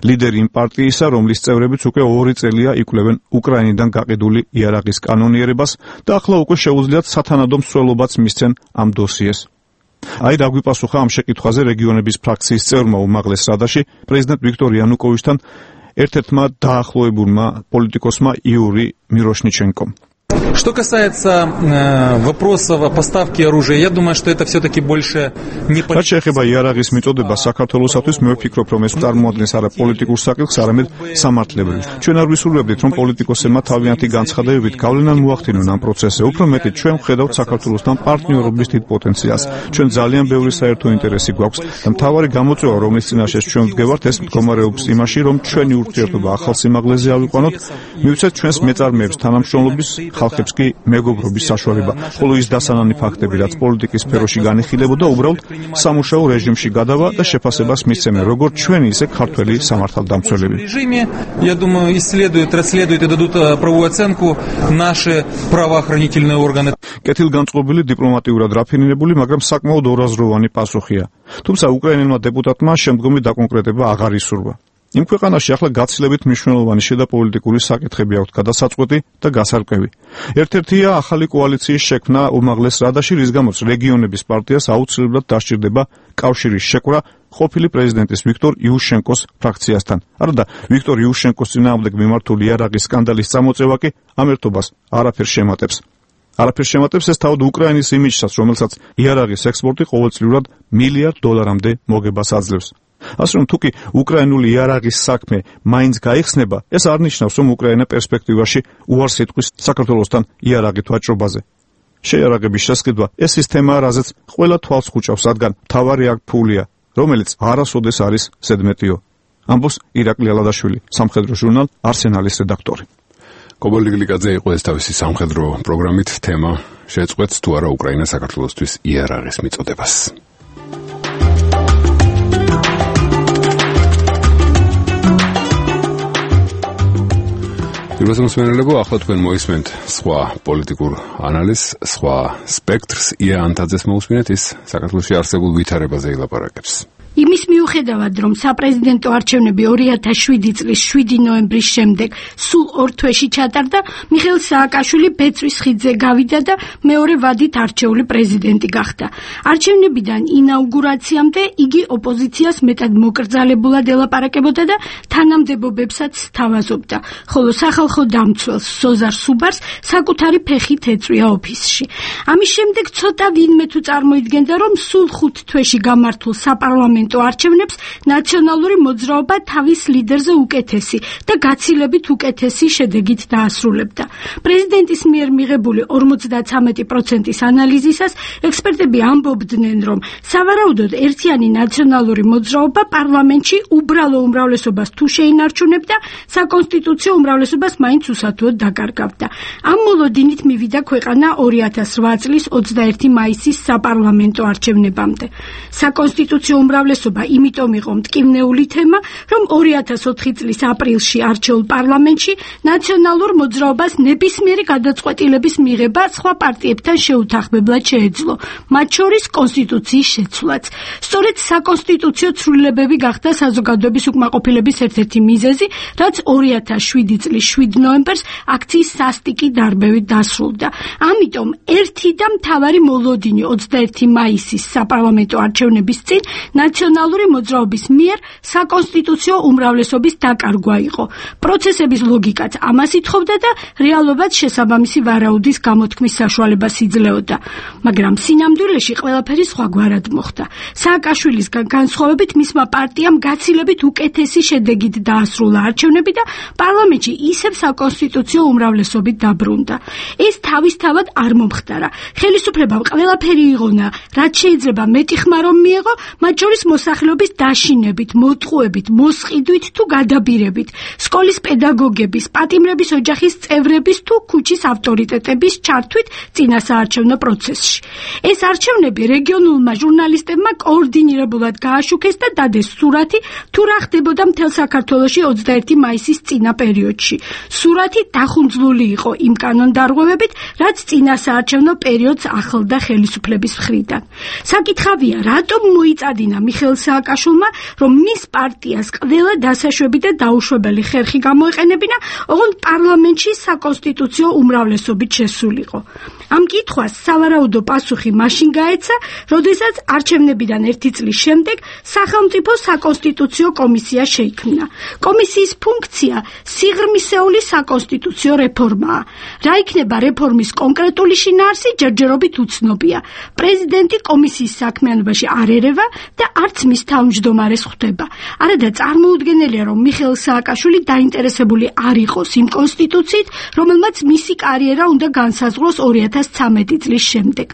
ლიდერი იმ პარტიისა, რომლის წევრებიც უკვე 2 წელია იკვლევენ უკრაინიდან გაყიდული იარაღის კანონიერებას და ახლა უკვე შეუძლიათ სათანადო მსვლელობაც მისცენ ამ დოსიეს. აი რა გვიპასუხა ამ შეკითხვაზე რეგიონების ფრაქციის წევრმა უმაღლეს რადაში პრეზიდენტ ვიქტორ იანუკოვიჩთან ერთ-ერთმა დაახლოებულმა პოლიტიკოსმა იური მიროშნიჩენკომ. Что касается вопросов поставки оружия, я думаю, что это все-таки больше не политическое. რაც შეეხება იარაღის მიწოდება საქართველოსათვის, მე ვფიქრობ, რომ ეს წარმოადგენს არა პოლიტიკურ საკითხს, არამედ სამართლებრივ. ჩვენ არ ვისურვებდით, რომ პოლიტიკოსებმა თავიანთი განცხადებებით გავლენან მოახდინონ ამ პროცესზე. უფრო მეტიც, ჩვენ ვხედავთ საქართველოსთან პარტნიორობის დიდ პოტენციალს. ჩვენ ძალიან ბევრი საერთო ინტერესი გვაქვს და მთავარი გამოწვევა, რომლის წინაშე ჩვენ ვდგევართ, ეს მდგომარეობს იმაში, რომ ჩვენი ურთიერთობა ახალ სიმაღლეზე ავიყვანოთ, მივცეთ ჩვენს მეწარმეებს თანამშრომლობის ხალხებს კი მეგობრობის საშუალება, ხოლო ის დასანანი ფაქტები, რაც პოლიტიკის სფეროში განიხილებოდა, уბრალოდ სამუშაო რეჟიმში გადავა და შეფასებას მისცემენ, როგორც ჩვენი, ისე ქართველი სამართალდამცველები. Я думаю, исследуют, расследуют и дадут правовую оценку наши правоохранительные органы. კეთილგანწყობილი დიპლომატიურად რაფინირებული, მაგრამ საკმაოდ ორაზროვანი პასუხია. თუმცა უკრაინელმა დეპუტატმა შემდგომი დაკონკრეტება აღარ ისურვა. იმ ქვეყანაში ახლა გაცილებით მნიშვნელოვანი შედაპოლიტიკური საკითხები აქვს გადასაწყვეტი და გასარკვევი. ერთ-ერთია ახალი კოალიციის შექმნა უმაღლეს რადაში, რის გამოც რეგიონების პარტიას აუცილებლად დასჭირდება კავშირის შეკვრა ყოფილი პრეზიდენტის ვიქტორ იუშენკოს ფრაქციასთან. არადა ვიქტორ იუშენკოს წინააღმდეგ მიმართული იარაღის სკანდალის წამოწევა კი ამ ერთობას არაფერს შემატებს. არაფერს შემატებს ეს თავად უკრაინის იმიჯსაც, რომელსაც იარაღის ექსპორტი ყოველწლიურად $1 მილიარდამდე მოგებას აძლევს. ასე რომ თუკი უკრაინული იარაღის საქმე მაინც გაიხსნება, ეს არ ნიშნავს, რომ უკრაინა პერსპექტივაში უარს იტყვის საქართველოსთან იარაღით ვაჭრობაზე. შეიარაღების შესყიდვა ეს სისტემაა, რაზეც ყველა თვალს ხუჭავს, რადგან მთავარი აქ ფულია, რომელიც არასოდეს არის ზედმეტიო. ამბობს ირაკლი ალადაშვილი, სამხედრო ჟურნალ არსენალის რედაქტორი. კობალდი გლიკაძე იყო ეს თავისი სამხედრო პროგრამით, თემა შეწყვეტს თუ არა უკრაინა საქართველოსთვის იარაღის მიწოდებას. პირველსმენელებო, ახლა თქვენ მოისმენთ სხვა პოლიტიკურ ანალიზს, სხვა სპექტრს, ია ანტაძეს მოусმინეთ, ის საქართველოში არსებულ ვითარებაზე ილაპარაკებს. იმის მიუხედავად, რომ საპრეზიდენტო არჩევნები 2007 წლის 7 ნოემბრის შემდეგ სულ 2 თვეში ჩატარდა, მიხეილ სააკაშვილი ბეწვის ხიდზე გავიდა და მეორე ვადით არჩეული პრეზიდენტი გახდა. არჩევნებიდან ინაუგურაციამდე იგი ოპოზიციას მეტად მოკრძალებულად ელაპარაკებოდა და თანამდებობებსაც თავაზობდა, ხოლო სახალხო დამცველს სოზარ სუბარს საკუთარი ფეხით ეწვია ოფისში. ამის შემდეგ ცოტა ვინმე თუ წარმოიდგენდა, რომ სულ 5 თვეში გამართულ საპარლამენტო საპარლამენტო არჩევნებს ნაციონალური მოძრაობა თავის ლიდერზე უკეთესი და გაცილებით უკეთესი შედეგით დაასრულებდა. პრეზიდენტის მიერ მიღებული 53%-ის ანალიზისას ექსპერტები ამბობდნენ, რომ სავარაუდოდ ერთიანი ნაციონალური მოძრაობა პარლამენტში უბრალო უმრავლესობას თუ შეინარჩუნებდა, საკონსტიტუციო უმრავლესობას მაინც უსათუოდ დაკარგავდა. ამ მოლოდინით მივიდა ქვეყანა 2008 წლის 21 მაისის საპარლამენტო არჩევნებამდე. საკონსტიტუციო უმრავლესობა იმიტომ იყო მტკივნეული თემა, რომ 2004 წლის აპრილში არჩეულ პარლამენტში ნაციონალურ მოძრაობას ნებისმიერი გადაწყვეტილების მიღება სხვა პარტიებთან შეუთანხმებლად შეეძლო, მათ შორის კონსტიტუციის შეცვლაც. სწორედ საკონსტიტუციო ცვლილებები გახდა საზოგადოების უკმაყოფილების ერთ-ერთი მიზეზი, რაც 2007 წლის 7 ნოემბერს აქციის სასტიკი დარბევით დასრულდა. ამიტომ ერთი და მთავარი მოლოდინი 21 მაისის საპარლამენტო არჩევნების წინ ნაციონალური მოძრაობის მიერ საკონსტიტუციო უმრავლესობის დაკარგვა იყო. პროცესების ლოგიკაც ამას ითხოვდა და რეალობაც შესაბამისი ვარაუდის გამოთქმის საშუალებას იძლეოდა. მაგრამ სინამდვილეში ყველაფერი სხვაგვარად მოხდა. სააკაშვილისგან განსხვავებით მისმა პარტიამ გაცილებით უკეთესი შედეგით დაასრულა არჩევნები და პარლამენტში ისევ საკონსტიტუციო უმრავლესობით დაბრუნდა. ეს თავისთავად არ მომხდარა. ხელისუფლებამ ყველაფერი იღონა, რაც შეიძლება მეტი ხმა რომ მიეღო, მათ შორის მოსახლეობის დაშინებით, მოტყუებით, მოსყიდვით თუ გადაბირებით, სკოლის პედაგოგების, პატიმრების ოჯახის წევრების თუ ქუჩის ავტორიტეტების ჩართვით წინასაარჩევნო პროცესში. ეს არჩევნები რეგიონულმა ჟურნალისტებმა კოორდინირებულად გააშუქეს და დადეს სურათი, თუ რა ხდებოდა მთელ საქართველოში 21 მაისის წინა პერიოდში. სურათი დახუნძლული იყო იმ კანონდარღვევებით, რაც წინასაარჩევნო პერიოდს ახლდა ხელისუფლების მხრიდან. საკითხავია, რატომ მოიწადინა მიხეილ სააკაშვილმა, რომ მის პარტიას ყველა დასაშვები და დაუშვებელი ხერხი გამოეყენებინა, ოღონდ პარლამენტში საკონსტიტუციო უმრავლესობით შესულიყო. ამ კითხვას სავარაუდო პასუხი მაშინ გაეცა, როდესაც არჩევნებიდან 1 წლის შემდეგ სახელმწიფო საკონსტიტუციო კომისია შეიქმნა. კომისიის ფუნქცია სიღრმისეული საკონსტიტუციო რეფორმაა. რა იქნება რეფორმის კონკრეტული შინაარსი ჯერჯერობით უცნობია. პრეზიდენტი კომისიის საქმიანობაში არ ერევა და არც მის თავმჯდომარეს ხვდება. არადა წარმოუდგენელია, რომ მიხეილ სააკაშვილი დაინტერესებული არ იყოს იმ კონსტიტუციით, რომელმაც მისი კარიერა უნდა განსაზღვროს 2013 წლის შემდეგ.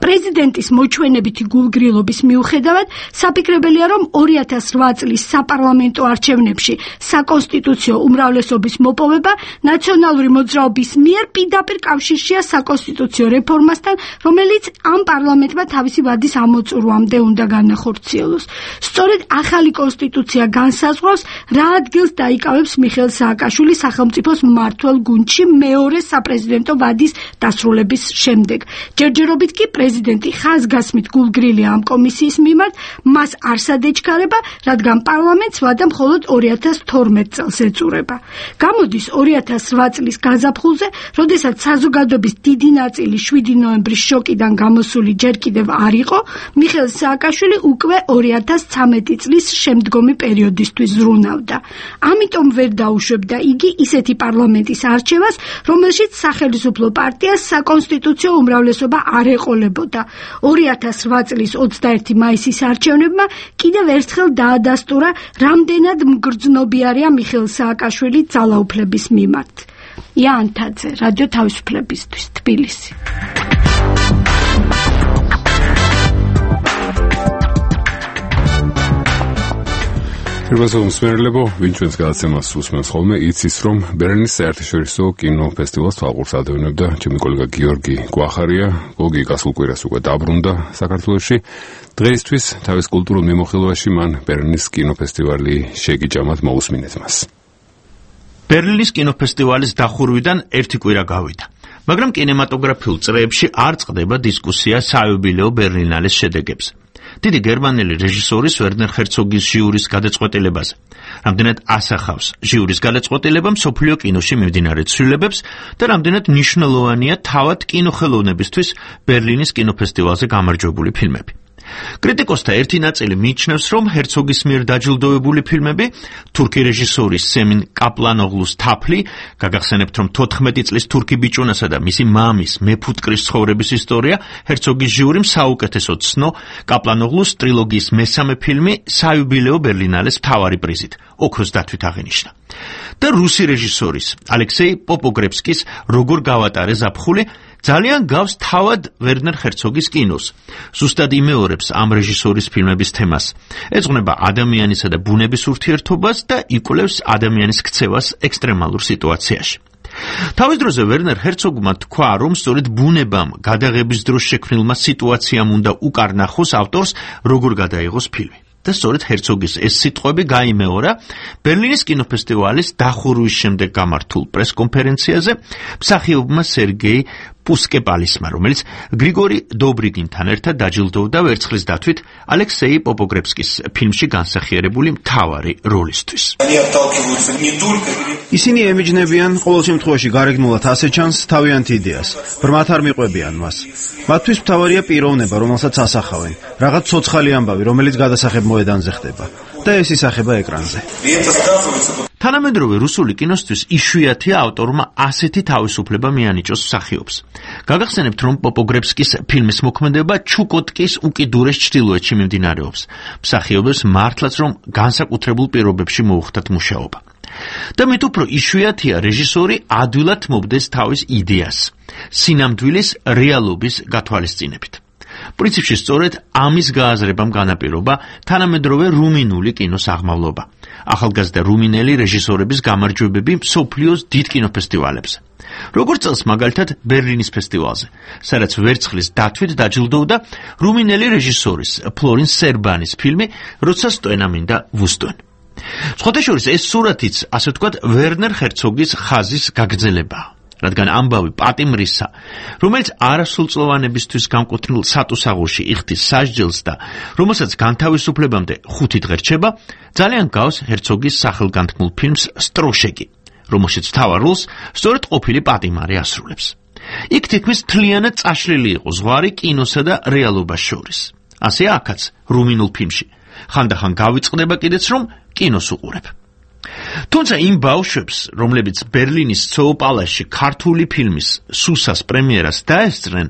პრეზიდენტის მოჩვენებითი გულგრილობის მიუხედავად, საფიქრებელია, რომ 2008 წლის საპარლამენტო არჩევნებში საკონსტიტუციო უმრავლესობის მოპოვება ნაციონალური მოძრაობის მიერ პირდაპირ კავშირშია საკონსტიტუციო რეფორმასთან, რომელიც ამ პარლამენტმა თავისი ვადის ამოწურვამდე უნდა განახორციელოს. სწორედ ახალი კონსტიტუცია განსაზღვრავს, რა ადგილს დაიკავებს მიხეილ სააკაშვილი სახელმწიფოს მმართველ გუნდში მეორე საპრეზიდენტო ვადის დასრულების შემდეგ. ჯერჯერობით კი პრეზიდენტი ხაზგასმით გულგრილია ამ კომისიის მიმართ, მას არსად ეჩქარება, რადგან პარლამენტს ვადა მხოლოდ 2012 წელს ეწურება. გამოდის 2008 წლის გაზაფხულზე, როდესაც საზოგადოების დიდი ნაწილი 7 ნოემბრის შოკიდან გამოსული ჯერ კიდევ არ იყო, მიხეილ სააკაშვილი უკვე 2013 წლის შემდგომი პერიოდისთვის ზრუნავდა. ამიტომ ვერ დაუშვებდა იგი ისეთი პარლამენტის არჩევას, რომელშიც სახელისუფლო პარტიას საკონსტიტუციო უმრავლესობა არ ეყოლებოდა. 2008 წლის 21 მაისის არჩევნებმა კიდევ ერთხელ დაადასტურა, რამდენად მგრძნობიარეა მიხეილ სააკაშვილი ძალაუფლების მიმართ. იან თაძე, რადიო თავისუფლებისთვის, თბილისი. პირველსო მსმენელებო, ვინც ჩვენს გადაცემას უსმენს ხოლმე, იცის, რომ ბერლინის საერთაშორისო კინოფესტივალს თვალყურს ადევნებდა ჩემი კოლეგა გიორგი კვახარია. გოგი გასულ კვირას უკვე დაბრუნდა საქართველოში. დღეისთვის თავის კულტურულ მიმოხილვაში მან ბერლინის კინოფესტივალი შეგიჭამად მოусმინეთ მას. ბერლინის კინოფესტივალის დახურვიდან 1 კვირა გავიდა. მაგრამ კინემატოგრაფიულ წრეებში არ წყდება დისკუსია საიუბილეო ბერლინალეს შედეგებზე. დიდი გერმანელი რეჟისორის ვერნერ ჰერცოგის ჟიურის გადაწყვეტილებაზე. რამდენად ასახავს ჟიურის გადაწყვეტილება მსოფლიო კინოში მიმდინარე ცვლილებებს და რამდენად მნიშვნელოვანია თავად კინოხელოვნებისთვის ბერლინის კინოფესტივალზე გამარჯვებული ფილმები. კრიტიკოსთა ერთი ნაწილი მიიჩნევს, რომ ჰერცოგის მიერ დაჯილდოვებული ფილმები, თურქი რეჟისორის სემინ კაპლანოღლუს თაფლი, გაგახსენებთ, რომ 14 წლის თურქი ბიჭუნასა და მისი მამის მეფუტკრის ცხოვრების ისტორია, ჰერცოგის ჟიურიმ საუკეთესო ცნო, კაპლანოღლუს ტრილოგიის მესამე ფილმი საიუბილეო ბერლინალეს მთავარი პრიზით, ოქროს დათვით აღინიშნა. და რუსი რეჟისორის ალექსეი პოპოგრებსკის როგორ გავატარე ზაფხული ძალიან გავს თავად ვერნერ ჰერცოგის კინოს. ზუსტად იმეორებს ამ რეჟისორის ფილმების თემას. ეძღვნება ადამიანისა და ბუნების ურთიერთობას და იკვლევს ადამიანის ქცევას ექსტრემალურ სიტუაციაში. თავის დროზე ვერნერ ჰერცოგმა თქვა, რომ სწორედ ბუნებამ გადაღების დროს შექმნილმა სიტუაციამ უნდა უკარნახოს ავტორს, როგორ გადაიღოს ფილმი. და სწორედ ჰერცოგის ეს სიტყვები გაიმეორა ბერლინის კინოფესტივალის დახურვის შემდეგ გამართულ პრესკონფერენციაზე მსახიობმა სერგეი პუსკეპალისმა, რომელიც გრიგორი დობრიგინთან ერთად დაჯილდოვდა ვერცხლის დათვით ალექსეი პოპოგრებსკის ფილმში განსახიერებული მთავარი როლისთვის. ისინი ემიჯნებიან ყოველ შემთხვევაში გარეგნულად ასე ჩანს თავიანთ იდეას, ბრმად არ მიყვებიან მას. მათთვის მთავარია პიროვნება, რომელსაც ასახავენ, რაღაც ცოცხალი ამბავი, რომელიც გადასახებ მოედანზე ხდება და ეს ისახება ეკრანზე. თანამედროვე რუსული კინოსთვის იშვიათია ავტორმა ასეთი თავისუფლება მიანიჭოს მსახიობს. გაგახსენებთ, რომ პოპოგრებსკის ფილმის მოქმედება ჩუკოტკის უკიდურეს ჩრდილოეთში მიმდინარეობს. მსახიობებს მართლაც რომ განსაკუთრებულ პირობებში მოუხდათ მუშაობა. და მით უფრო იშვიათია რეჟისორი ადვილად მობდეს თავის იდეას, სინამდვილის რეალობის გათვალისწინებით. პრინციპში სწორედ ამის გააზრებამ განაპირობა თანამედროვე რუმინული კინოს აღმავლობა. ახალგაზრდა რუმინელი რეჟისორების გამარჯვებები მსოფლიოს დიდ კინოფესტივალებზე. როგორც წელს მაგალითად ბერლინის ფესტივალზე, სადაც ვერცხლის დათვით დაჯილდოვდა რუმინელი რეჟისორის ფლორინ სერბანის ფილმი როცა სტვენა მინდა ვუსტვენ. სხვადასხვა ეს სურათიც, ასე ვთქვათ, ვერნერ ჰერცოგის ხაზის გაგრძელებაა. რადგან ამბავი პატიმრისა, რომელიც არასრულწლოვანებისთვის განკუთვნილ სატუსაღოში იხდის სასჯელს და რომელსაც განთავისუფლებამდე 5 დღე რჩება, ძალიან გავს ჰერცოგის სახელგანთქმულ ფილმს სტროშეკი, რომელშიც მთავარ როლს სწორედ ყოფილი პატიმარი ასრულებს. იქ თითქმის მთლიანად წაშლილი იყო ზღვარი კინოსა და რეალობას შორის. ასე აქაც რუმინულ ფილმში. ხანდახან გავიწყდება კიდეც რომ კინოს უყურებ. თუმცა იმ ბავშვებს, რომლებიც ბერლინის ცოოპალასში ქართული ფილმის სუსას პრემიერას დაესწრნენ,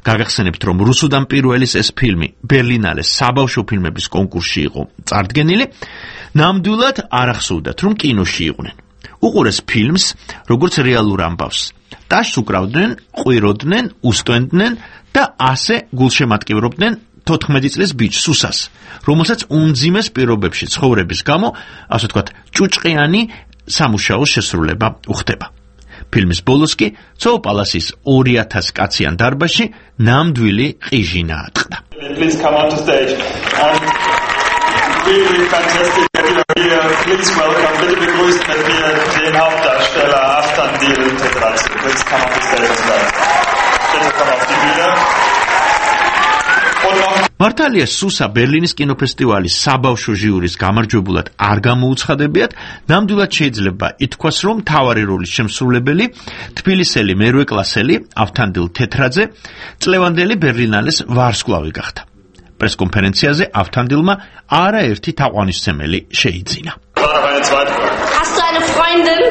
გაგახსენებთ, რომ რუსუდან პირველის ეს ფილმი ბერლინალეს საბავშვო ფილმების კონკურსში იყო წარდგენილი, ნამდვილად არ ახსოვდათ, რომ კინოში იყვნენ. უყურეს ფილმს, როგორც რეალურ ამბავს. ტაშს უკრავდნენ, ყვიროდნენ, უსტვენდნენ და ასე გულშემატკივრობდნენ 14 წლის ბიჭ სუსას, რომელსაც უმძიმეს პირობებში ცხოვრების გამო, ასე ვთქვათ, ჭუჭყიანი სამუშაოს შესრულება უხდება. ფილმის ბოლოს კი ცოოპალასის 2000 კაციან დარბაზში ნამდვილი ყიჟინა ატყდა. Please come on to stage. Really fantastic that you are here. Please welcome, bitte begrüßen mit mir den Hauptdarsteller Aftandil Tetradze. Please come on to stage as well. Bitte komm auf die Bühne. მართალია სუსა ბერლინის კინოფესტივალის საბავშვო ჟიურის გამარჯვებულად არ გამოუცხადებიათ, ნამდვილად შეიძლება ითქვას, რომ მთავარი როლის შემსრულებელი თბილისელი მერვე კლასელი ავთანდილ თეთრაძე წლევანდელი ბერლინალეს ვარსკვლავი გახდა. პრესკონფერენციაზე ავთანდილმა არაერთი თაყვანისმცემელი შეიძინა. Hast du eine Freundin?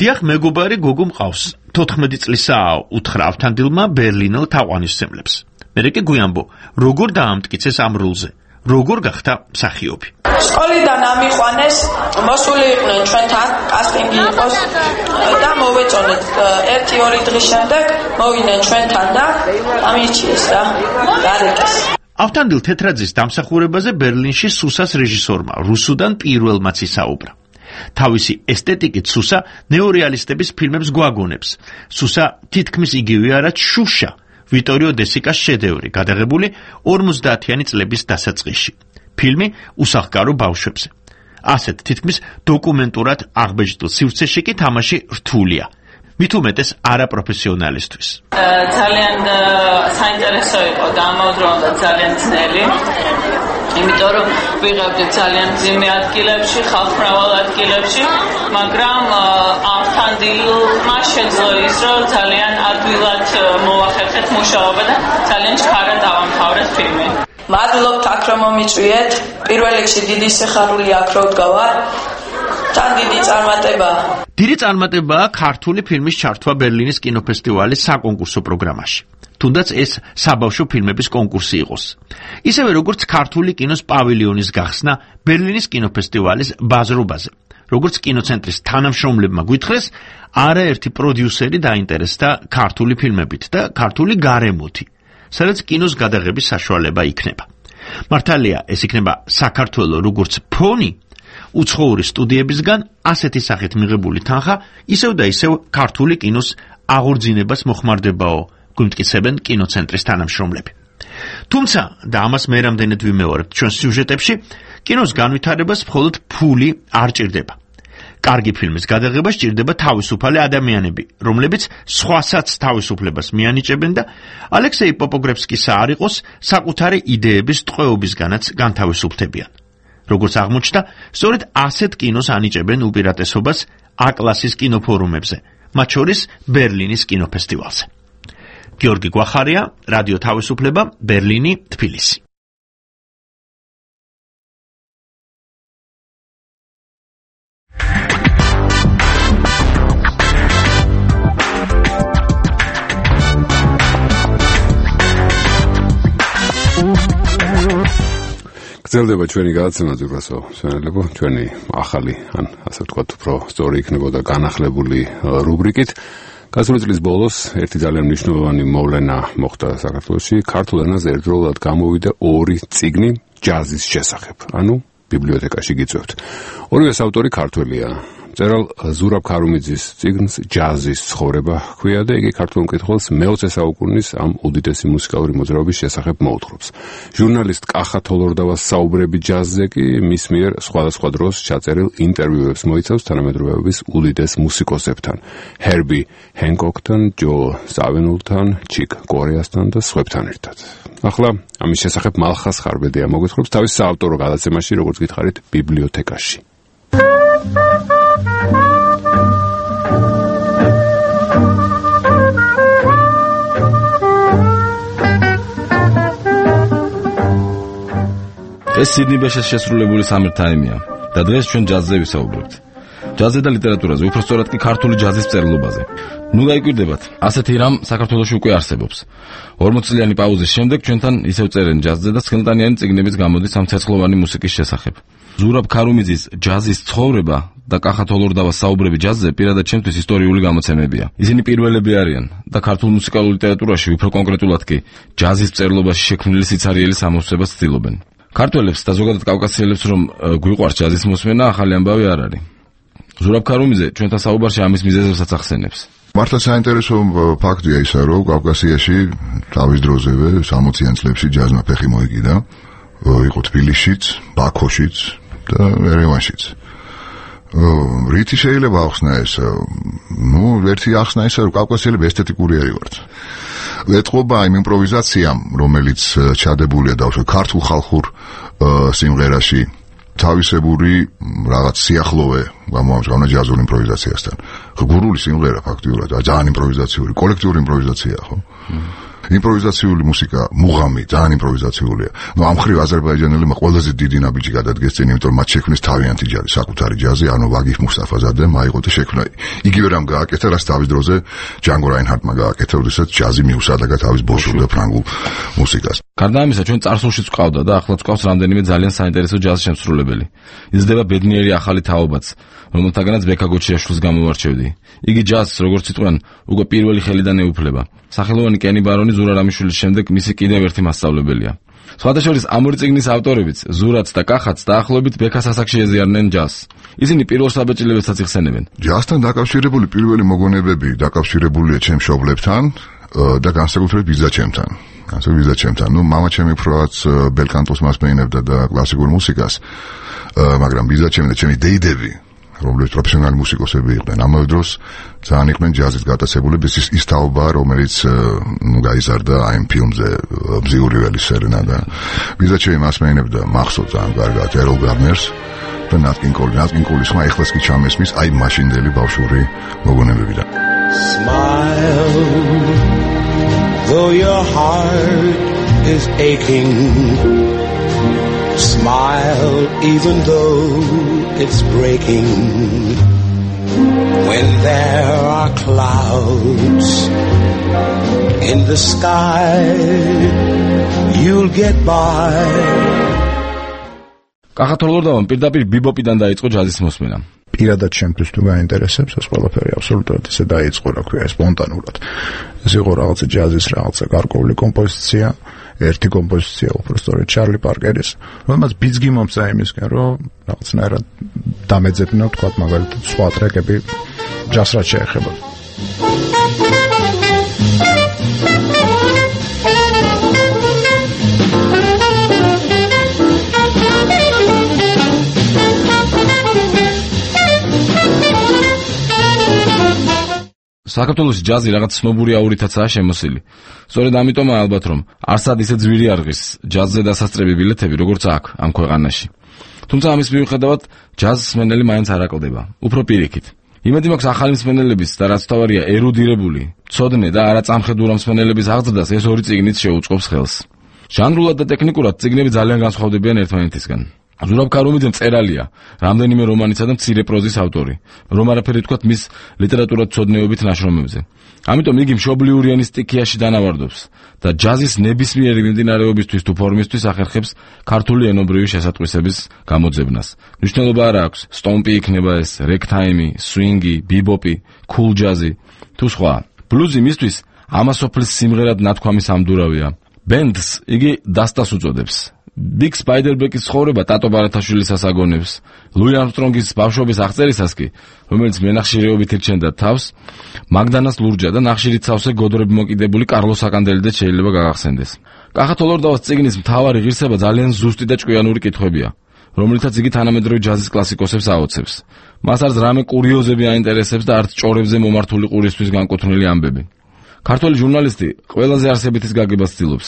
დიახ, მეგობარი გოგო მყავს. 14 წლისაა, უთხრა ავთანდილმა ბერლინელ თაყვანისმცემლებს. მერე კი გვიანბო, როგორ დაამტკიცეს ამ როლზე, როგორ გახდა მსახიობი. სკოლიდან ამიყვანეს, მოსული იყვნენ ჩვენთან, კასტინგი იყოს და მოვეწონეთ 1-2 დღის შემდეგ მოვიდნენ ჩვენთან და ამიჩიეს და გარეკეს. ავთანდილ თეთრაძის დამსახურებაზე ბერლინში სუსას რეჟისორმა რუსუდან პირველმაც ისაუბრა. თავისი ესთეტიკით სუსა ნეორეალისტების ფილმებს გვაგონებს. სუსა თითქმის იგივეა, რაც შუშა, ვიტორიო დესიკას შედევრი, გადაღებული 50-იანი წლების დასაწყისში. ფილმი უსახკარო ბავშვებზე. ასეთ თითქმის დოკუმენტურად აღბეჭდილ სივრცეში კი თამაში რთულია. მით უმეტეს არაპროფესიონალისთვის. ძალიან საინტერესო იყო და ამავდროულად ძალიან ძნელი. იმიტომ რომ ვიღებდით ძალიან მძიმე ადგილებში, ხალხმრავალ ადგილებში, მაგრამ ამთან დილმა შეძლო ის, რომ ძალიან ადვილად მოახერხეთ მუშაობა და ძალიან ჩქარად დავამთავრეთ ფილმი. მადლობთ აქ რომ მომიწვიეთ. პირველ რიგში დიდი სიხარული აქ რო ვდგავარ. თან დიდი წარმატება. დიდი წარმატებაა ქართული ფილმის ჩართვა ბერლინის კინოფესტივალის საკონკურსო პროგრამაში. თუნდაც ეს საბავშვო ფილმების კონკურსი იყოს. ისევე როგორც ქართული კინოს პავილიონის გახსნა ბერლინის კინოფესტივალის ბაზრობაზე. როგორც კინოცენტრის თანამშრომლებმა გვითხრეს, არაერთი პროდიუსერი დაინტერესდა ქართული ფილმებით და ქართული გარემოთი, სადაც კინოს გადაღების საშუალება იქნება. მართალია, ეს იქნება საქართველოს როგორც ფონი, უცხოური სტუდიებისგან ასეთი სახით მიღებული თანხა ისევ და ისევ ქართული კინოს აღორძინებას მოხმარდებაო, გვიმტკიცებენ კინოცენტრის თანამშრომლები. თუმცა, და ამას მე რამდენად ვიმეორებთ ჩვენ სიუჟეტებში, კინოს განვითარებას მხოლოდ ფული არ ჭირდება. კარგი ფილმის გადაღება სჭირდება თავისუფალი ადამიანები, რომლებიც სხვასაც თავისუფლებას მიანიჭებენ და ალექსეი პოპოგრებსკისა არ იყოს საკუთარი იდეების ტყვეობისგანაც განთავისუფლებიან. როგორც აღმოჩნდა, სწორედ ასეთ კინოს ანიჭებენ უპირატესობას A-კლასის კინოფორუმებზე, მათ შორის ბერლინის კინოფესტივალზე. გიორგი გვახარია, რადიო თავისუფლება, ბერლინი, თბილისი. გრძელდება ჩვენი გადაცემა ზურგასო სვენელებო, ჩვენი ახალი, ან ასე ვთქვათ, უფრო სწორი იქნებოდა განახლებული რუბრიკით. გასული წლის ბოლოს ერთი ძალიან მნიშვნელოვანი მოვლენა მოხდა საქართველოში. ქართულ ენაზე ერთდროულად გამოვიდა 2 წიგნი ჯაზის შესახებ. ანუ ბიბლიოთეკაში გიწევთ. ორივეს ავტორი ქართველია. მწერალ ზურაბ ქარუმიძის წიგნს ჯაზის ცხოვრება ჰქვია და იგი ქართულ მკითხველს მე-20 საუკუნის ამ უდიდესი მუსიკალური მოძრაობის შესახებ მოუთხრობს. ჟურნალისტ კახა თოლორდავას საუბრები ჯაზზე კი მის მიერ სხვადასხვა დროს ჩაწერილ ინტერვიუებს მოიცავს თანამედროვეობის უდიდეს მუსიკოსებთან, ჰერბი ჰენკოკთან, ჯო სავენულთან, ჩიკ კორეასთან და სხვებთან ერთად. ახლა ამის შესახებ მალხას ხარბედია მოგვითხრობს თავის საავტორო გადაცემაში, როგორც გითხარით, ბიბლიოთეკაში. ეს სიდნი ბეშეს შესრულებული სამერთაიმია და დღეს ჩვენ ჯაზზე ვისაუბრებთ. ჯაზზე და ლიტერატურაზე, უფრო სწორად კი ქართული ჯაზის მწერლობაზე. ნუ გაიკვირდებათ, ასეთი რამ საქართველოში უკვე არსებობს. 40 წლიანი პაუზის შემდეგ ჩვენთან ისევ წერენ ჯაზზე და ცხელტანიანი წიგნებიც გამოდის ამ ცეცხლოვანი მუსიკის შესახებ. ზურაბ ქარუმიძის ჯაზის ცხოვრება და კახა თოლორდავას საუბრები ჯაზზე პირადად ჩემთვის ისტორიული გამოცემებია. ისინი პირველები არიან და ქართულ მუსიკალურ ლიტერატურაში, უფრო კონკრეტულად კი ჯაზის მწერლობაში შექმნილი სიცარიელი სამოსებას ცდილობენ. ქართველებს და ზოგადად კავკასიელებს რომ გვიყვარს ჯაზის მოსმენა, ახალი ამბავი არ არის. ზურაბ ქარუმიძე ჩვენთან საუბარში ამის მიზეზებსაც ახსენებს. მართლა საინტერესო ფაქტია ისა, რომ კავკასიაში თავის დროზევე 60-იან წლებში ჯაზმა ფეხი მოიკიდა, იყო თბილისშიც, ბაქოშიც და ერევანშიც. რითი შეიძლება ახსნა ეს? ერთი ახსნა ისა, რომ კავკასიელები ესთეტიკური არ იყართ. ეთყობა იმ იმპროვიზაციამ, რომელიც ჩადებულია დავშვე ქართულ ხალხურ სიმღერაში, თავისებური რაღაც სიახლოვე გამოამჟღავნა ჯაზურ იმპროვიზაციასთან. გურული სიმღერა ფაქტიურად ძალიან იმპროვიზაციული, კოლექტიური იმპროვიზაცია, ხო? იმპროვიზაციული მუსიკა, მუღამი, ძალიან იმპროვიზაციულია. ამ ხრივ აზერბაიჯანელებმა ყველაზე დიდი ნაბიჯი გადადგეს წინ, იმიტომ რომ მათ შექმნეს თავიანთი ჯაზი, საკუთარი ჯაზი, ანუ ვაგიფ მუსტაფაზადემ აიღო და შექმნა. იგივე რამ გააკეთა, რაც თავის დროზე ჯანგო რაინჰარტმა გააკეთა, როდესაც ჯაზი მიუსადაგა თავის ბოშურ და ფრანგულ მუსიკას. გარდა ამისა, ჩვენ წარსულშიც ვყავდა და ახლა ვყავს რამდენიმე ძალიან საინტერესო ჯაზ შემსრულებელი. იზრდება ბედნიერი ახალი თაობაც, რომელთაგანაც ბექა გოჩიაშვილს გამოვარჩევდი. იგი ჯაზს, როგორც იტყვიან, უკვე პირველი ხელიდან ეუფლება. სახელოვანი კენი ბარონი ზურა რამიშვილის შემდეგ მისი კიდევ ერთი მასწავლებელია. სხვადასხვა ამ ორი წიგნის ავტორებიც, ზურაც და კახაც დაახლოებით ბექას ასაკში ეზიარნენ ჯაზს. ისინი პირველ საბეჭდილებასაც იხსენებენ. ჯაზთან დაკავშირებული პირველი მოგონებები დაკავშირებულია ჩემ მშობლებთან და განსაკუთრებით ბიძაჩემთან. მამა ჩემი უფრო ბელკანტოს მასმეინებდა და კლასიკურ მუსიკას, მაგრამ ბიძაჩემი და ჩემი დეიდები რომლებიც პროფესიონალი მუსიკოსები იყვნენ. ამავე დროს ძალიან იყვნენ ჯაზით გატაცებული, ის თაობა, რომელიც გაიზარდა აი ამ ფილმზე ბზიური ველის სერენადა. ვიზაც მასმენებდა მახსოვს ძალიან კარგად ეროლ გარნერს და ნატ კინგ კოლის ხმა ეხლაც კი ჩამესმის აი მაშინდელი ბავშვური მოგონებებიდან. Smile, though your heart is aching. Smile, even though it's breaking. When there are clouds in the sky, you'll get by. კახათოლორდავამ პირდაპირ ბიბოპიდან დაიწყო ჯაზის მოსმენა. პირადად ჩემთვის თუ გაინტერესებს ეს ყველაფერი აბსოლუტურად ისე დაიწყო, რა ქვია, სპონტანურად. ეს იყო რაღაცა ჯაზის რაღაცა გარკვეული კომპოზიცია, ერთი კომპოზიცია უბრალოდ ჩარლი პარკერის, რომელმაც ბიძგი მომცა იმისკენ, რომ რაღაცნაირად დამეძებნა, თქვა მაგალითად სხვა ტრეკები ჯაზრად შეეხება. საქართველოში ჯაზი რაღაც ცნობური აურითაცაა შემოსილი. სწორედ ამიტომაა ალბათ რომ არსად ისე ძვირი არღის ჯაზზე დასასწრები ბილეთები როგორც აქ ამ ქვეყანაში. თუმცა ამის მიუხედავად ჯაზს მსმენელი მაინც არ აკლდება. უფრო პირიქით. იმედი მაქვს ახალი მსმენელების და რაც თავარია ერუდირებული, ცოდნე და არაწამხედურა მსმენელების აღზრდას ეს ორი წიგნიც შეუწყობს ხელს. ჟანრულად და ტექნიკურად წიგნები ძალიან განსხვავდებიან ერთმანეთისგან. ზურაბ ქარუმიძე მწერალია, რამდენიმე რომანისა და მცირე პროზის ავტორი, რომ არაფერი თქვათ მის ლიტერატურად ცოდნეობით ნაშრომებზე. ამიტომ იგი მშობლიური ენის სტიქიაში დანავარდობს და ჯაზის ნებისმიერი მიმდინარეობისთვის თუ ფორმისთვის ახერხებს ქართული ენობრივი შესატყვისების გამოძებნას. მნიშვნელობა არ აქვს, სტომპი იქნება ეს, რეგთაიმი, სვინგი, ბიბოპი, კულ ჯაზი თუ სხვა. ბლუზი მისთვის ამასოფლის სიმღერად ნათქვამი სამდურავია. ბენდს იგი დასტას უწოდებს. ბიგ სპაიდერბეკის ცხოვრება ტატო ბარათაშვილის ასაგონებს. ლუი არმსტრონგის ბავშვობის აღწერისას კი, რომელიც მენახშირეობით ირჩენდა თავს, მაგდანას ლურჯა და ნახშირით სავსე გოდრები მოკიდებული კარლოს აკანდელიდეც შეიძლება გაგახსენდეს. კახათოლორდავას წიგნის მთავარი ღირსება ძალიან ზუსტი და ჭკვიანური კითხვებია, რომლითაც იგი თანამედროვე ჯაზის კლასიკოსებს აოცებს. მას არც რამე კურიოზები აინტერესებს და არც ჭორებზე მომართული ყურისთვის განკუთვნილი ამბები. ქართველი ჟურნალისტი ყველაზე არსებითის გაგებას ცდილობს.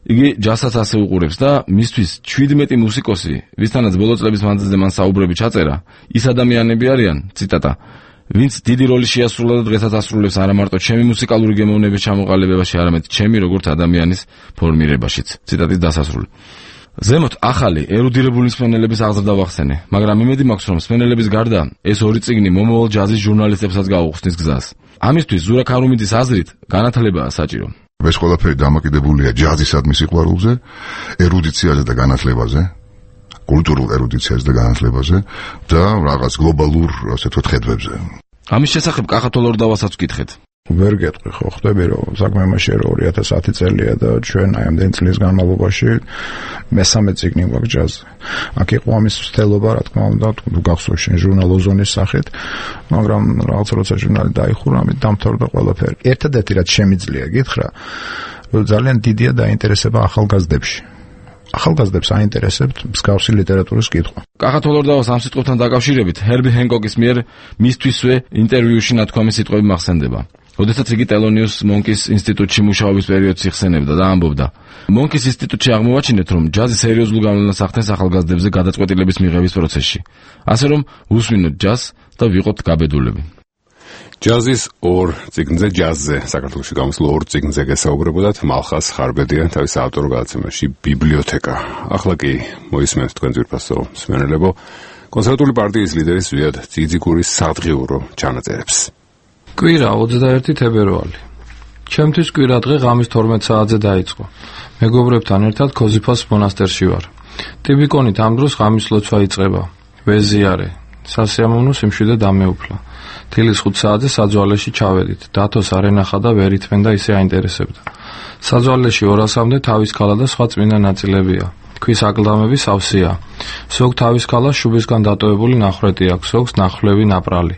იგი ჯაზსაც ასე უყურებს და მისთვის 17 მუსიკოსი, ვისთანაც ბოლო წლების მანძილზე მან საუბრები ჩაწერა, ის ადამიანები არიან, ციტატა, ვინც დიდი როლი შეასრულა და დღესაც ასრულებს არა მარტო ჩემი მუსიკალური გემოვნების ჩამოყალიბებაში, არამედ ჩემი როგორც ადამიანის ფორმირებაშიც. ციტატის დასასრული. ზემოთ ახალი ერუდირებული მსმენელების აღზრდა ვახსენე, მაგრამ იმედი მაქვს, რომ მსმენელების გარდა ეს ორი წიგნი მომავალ ჯაზის ჟურნალისტებსაც გაუხსნის გზას. ამისთვის ზურაბ ქარუმიძის აზრით განათლებაა საჭირო. ეს ყველაფერი დამოკიდებულია ჯაზისადმი სიყვარულზე, ერუდიციაზე და განათლებაზე, კულტურულ ერუდიციაზე და განათლებაზე და რაღაც გლობალურ, ასე ვთქვათ, ხედვებზე. ამის შესახებ კახათოლორდავასაც ვკითხეთ. ვერ გეტყვი ხო, ხდები რომ საქმე იმაში რომ 2010 წელია და ჩვენ აი ამდენი წლის განმავლობაში მესამე წიგნი გვაქვს ჯაზზე. აქ იყო ამის ცდელობა, რა თქმა უნდა, თუ გახსოვს შენ ჟურნალ ოზონის სახით, მაგრამ რაღაც როცა ჟურნალი დაიხურა, ამით დამთავრდა ყველაფერი. ერთადერთი რაც შემიძლია გითხრა, რომ ძალიან დიდია დაინტერესება ახალგაზრდებში. ახალგაზრდებს აინტერესებთ მსგავსი ლიტერატურის კითხვა. კახათოლორდავას ამ სიტყვებთან დაკავშირებით ჰერბი ჰენკოკის მიერ მისთვისვე ინტერვიუში ნათქვამი სიტყვები მახსენდება. როდესაც იგი ტელონიუს მონკის ინსტიტუტში მუშაობის პერიოდს იხსენებდა და ამბობდა: მონკის ინსტიტუტში აღმოვაჩინეთ, რომ ჯაზი სერიოზულ გავლენას ახდენს ახალგაზრდებზე გადაწყვეტილების მიღების პროცესში. ასე რომ უსვინოთ ჯაზს და ვიყოთ გაბედულები. ჯაზის ორ წიგნზე ჯაზზე საქართველოში გამოსულ ორ წიგნზე გესაუბრებოდათ მალხას ხარბედია თავის ავტორ გადაცემაში ბიბლიოთეკა. ახლა კი მოისმენთ თქვენ ძვირფასო მსმენელებო კონსერვატული პარტიის ლიდერის ზვიად ძიძიგურის სადღიურო ჩანაწერებს. კვირა 21 თებერვალი. ჩემთვის კვირა დღე ღამის 12 საათზე დაიწყო. მეგობრებთან ერთად ქოზიფოს მონასტერში ვარ. ტიბიკონით ამ დროს ღამის ლოცვა იწყება. ვეზიარე. სასიამოვნო სიმშვიდე დამეუფლა. თილის 5 საათზე საძვალეში ჩავედით. დათოს არ ენახა და ვერ ითმენდა ისე აინტერესებდა. საძვალეში 200-მდე თავის ქალა და სხვა წმინდა ნაწილებია. ქვის აკლდამები სავსეა. ზოგ თავის ქალას შუბისგან დატოვებული ნახრეტი აქვს, ზოგს ნახვლევი ნაპრალი.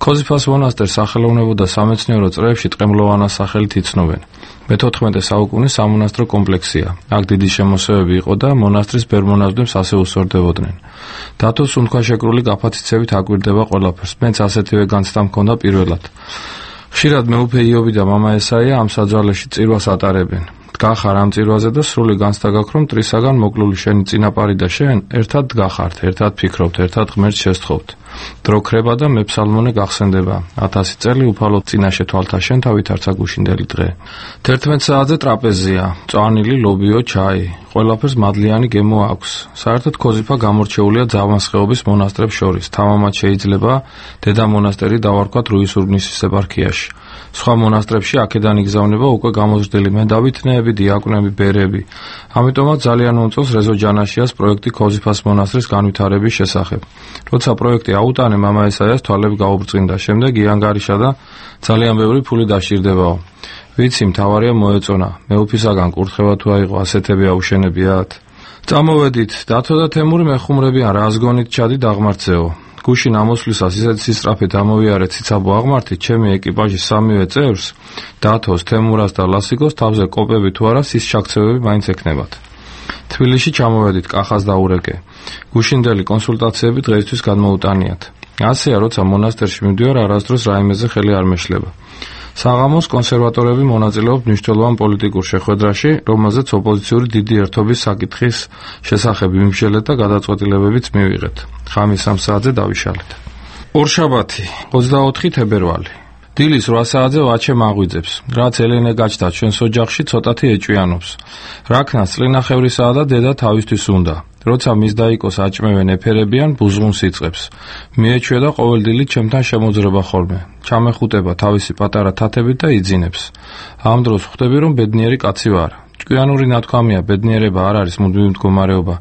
ქოზიფას მონასტერს სახელოვნებო და სამეცნიერო წრეებში ტყემლოვანას სახელით იცნობენ. მე-14 საუკუნის სამონასტრო კომპლექსია. აქ დიდი შემოსევები იყო და მონასტრის ბერ-მონაზვნებს ასე უსწორდებოდნენ. დათოს სუნთქვაშეკრული გაფათიცებით აკვირდება ყველაფერს. მეც ასეთივე განცდა მქონდა პირველად. ხშირად მეუფე იობი და მამა ესაია ამ საძვალეში წირვას ატარებენ. დგახარ ამ წირვაზე და სრული განცდა გაქვს, რომ მტრისაგან მოკლული შენი წინაპარი და შენ ერთად დგახართ, ერთად ფიქრობთ, ერთად ღმერთს შესთხოვთ. დრო ქრება და მეფსალმონე გახსენდება. 1000 წელი უფალოდ წინაშე თვალთა შენ თავით არცა გუშინდელი დღე. 11 საათზე ტრაპეზია, წვანილი, ლობიო, ჩაი. ყველაფერს მადლიანი გემო აქვს. საერთოდ ქოზიფა გამორჩეულია ძაღლმასხეობის მონასტრებს შორის. თამამად შეიძლება დედა მონასტერი დავარქვათ რუის-ურბნისის ეპარქიაში. სხვა მონასტრებში აქედან იგზავნება უკვე გამოზრდილი მენდავითნეები, დიაკვნები, ბერები. ამიტომაც ძალიან მომწონს რეზო ჯანაშიას პროექტი ქოზიფას მონასტრის განვითარების შესახებ. როცა პროექტი აუტანე, მამა ესაიას თვალები გაუბრწყინდა. შემდეგ იანგარიშა და ძალიან ბევრი ფული დასჭირდებაო. ვიცი, მთავარია მოეწონა. მეუფისაგან კურთხევა თუ აიღო, ასეთები აუშენებიათ. წამოვედით, დათო და თემური მეხუმრებიან, რას გონით ჩადი დაღმართზეო. გუშინ ამოსვლისას ისეთ სისწრაფით ამოვიარე ციცაბო აღმართით, ჩემი ეკიპაჟის 3-ვე წევრს, დათოს, თემურას და ლასიკოს თავზე კოპები თუ არა სის ჩაქცევები მაინც ექნებათ. თბილისში ჩამოვედით, კახას დაურეკე. გუშინდელი კონსულტაციები დღეისთვის გადმოუტანიათ. ასეა, როცა მონასტერში მივდივარ, არასდროს რაიმეზე ხელი არ მეშლება. საღამოს კონსერვატორები მონაწილეობთ მნიშვნელოვან პოლიტიკურ შეხვედრაში, რომელზეც ოპოზიციური დიდი ერთობის საკითხის შესახებ ვიმსჯელეთ და გადაწყვეტილებებიც მივიღეთ. ხამის 3 საათზე დავიშალეთ. ორშაბათი, 24 თებერვალი. დილის 8 საათზე ვაჩე მაღვიძებს. რაც ელენე გაჩნდა ჩვენს ოჯახში, ცოტათი ეჭვიანობს. რაქნას წლინახევრისაა და დედა თავისთვის უნდა. როცა მის დაიკოს აჭმევენ ეფერებიან, ბუზღუნს იწყებს. მიეჩვია და ყოველდღიურად ჩემთან შემოძრება ხოლმე. ჩამეხუტება თავისი პატარა თათებით და იძინებს. ამ დროს ხვდები, რომ ბედნიერი კაცი ვარ. ჭკვიანური ნათქვამია, ბედნიერება არ არის მუდმივი მდგომარეობა.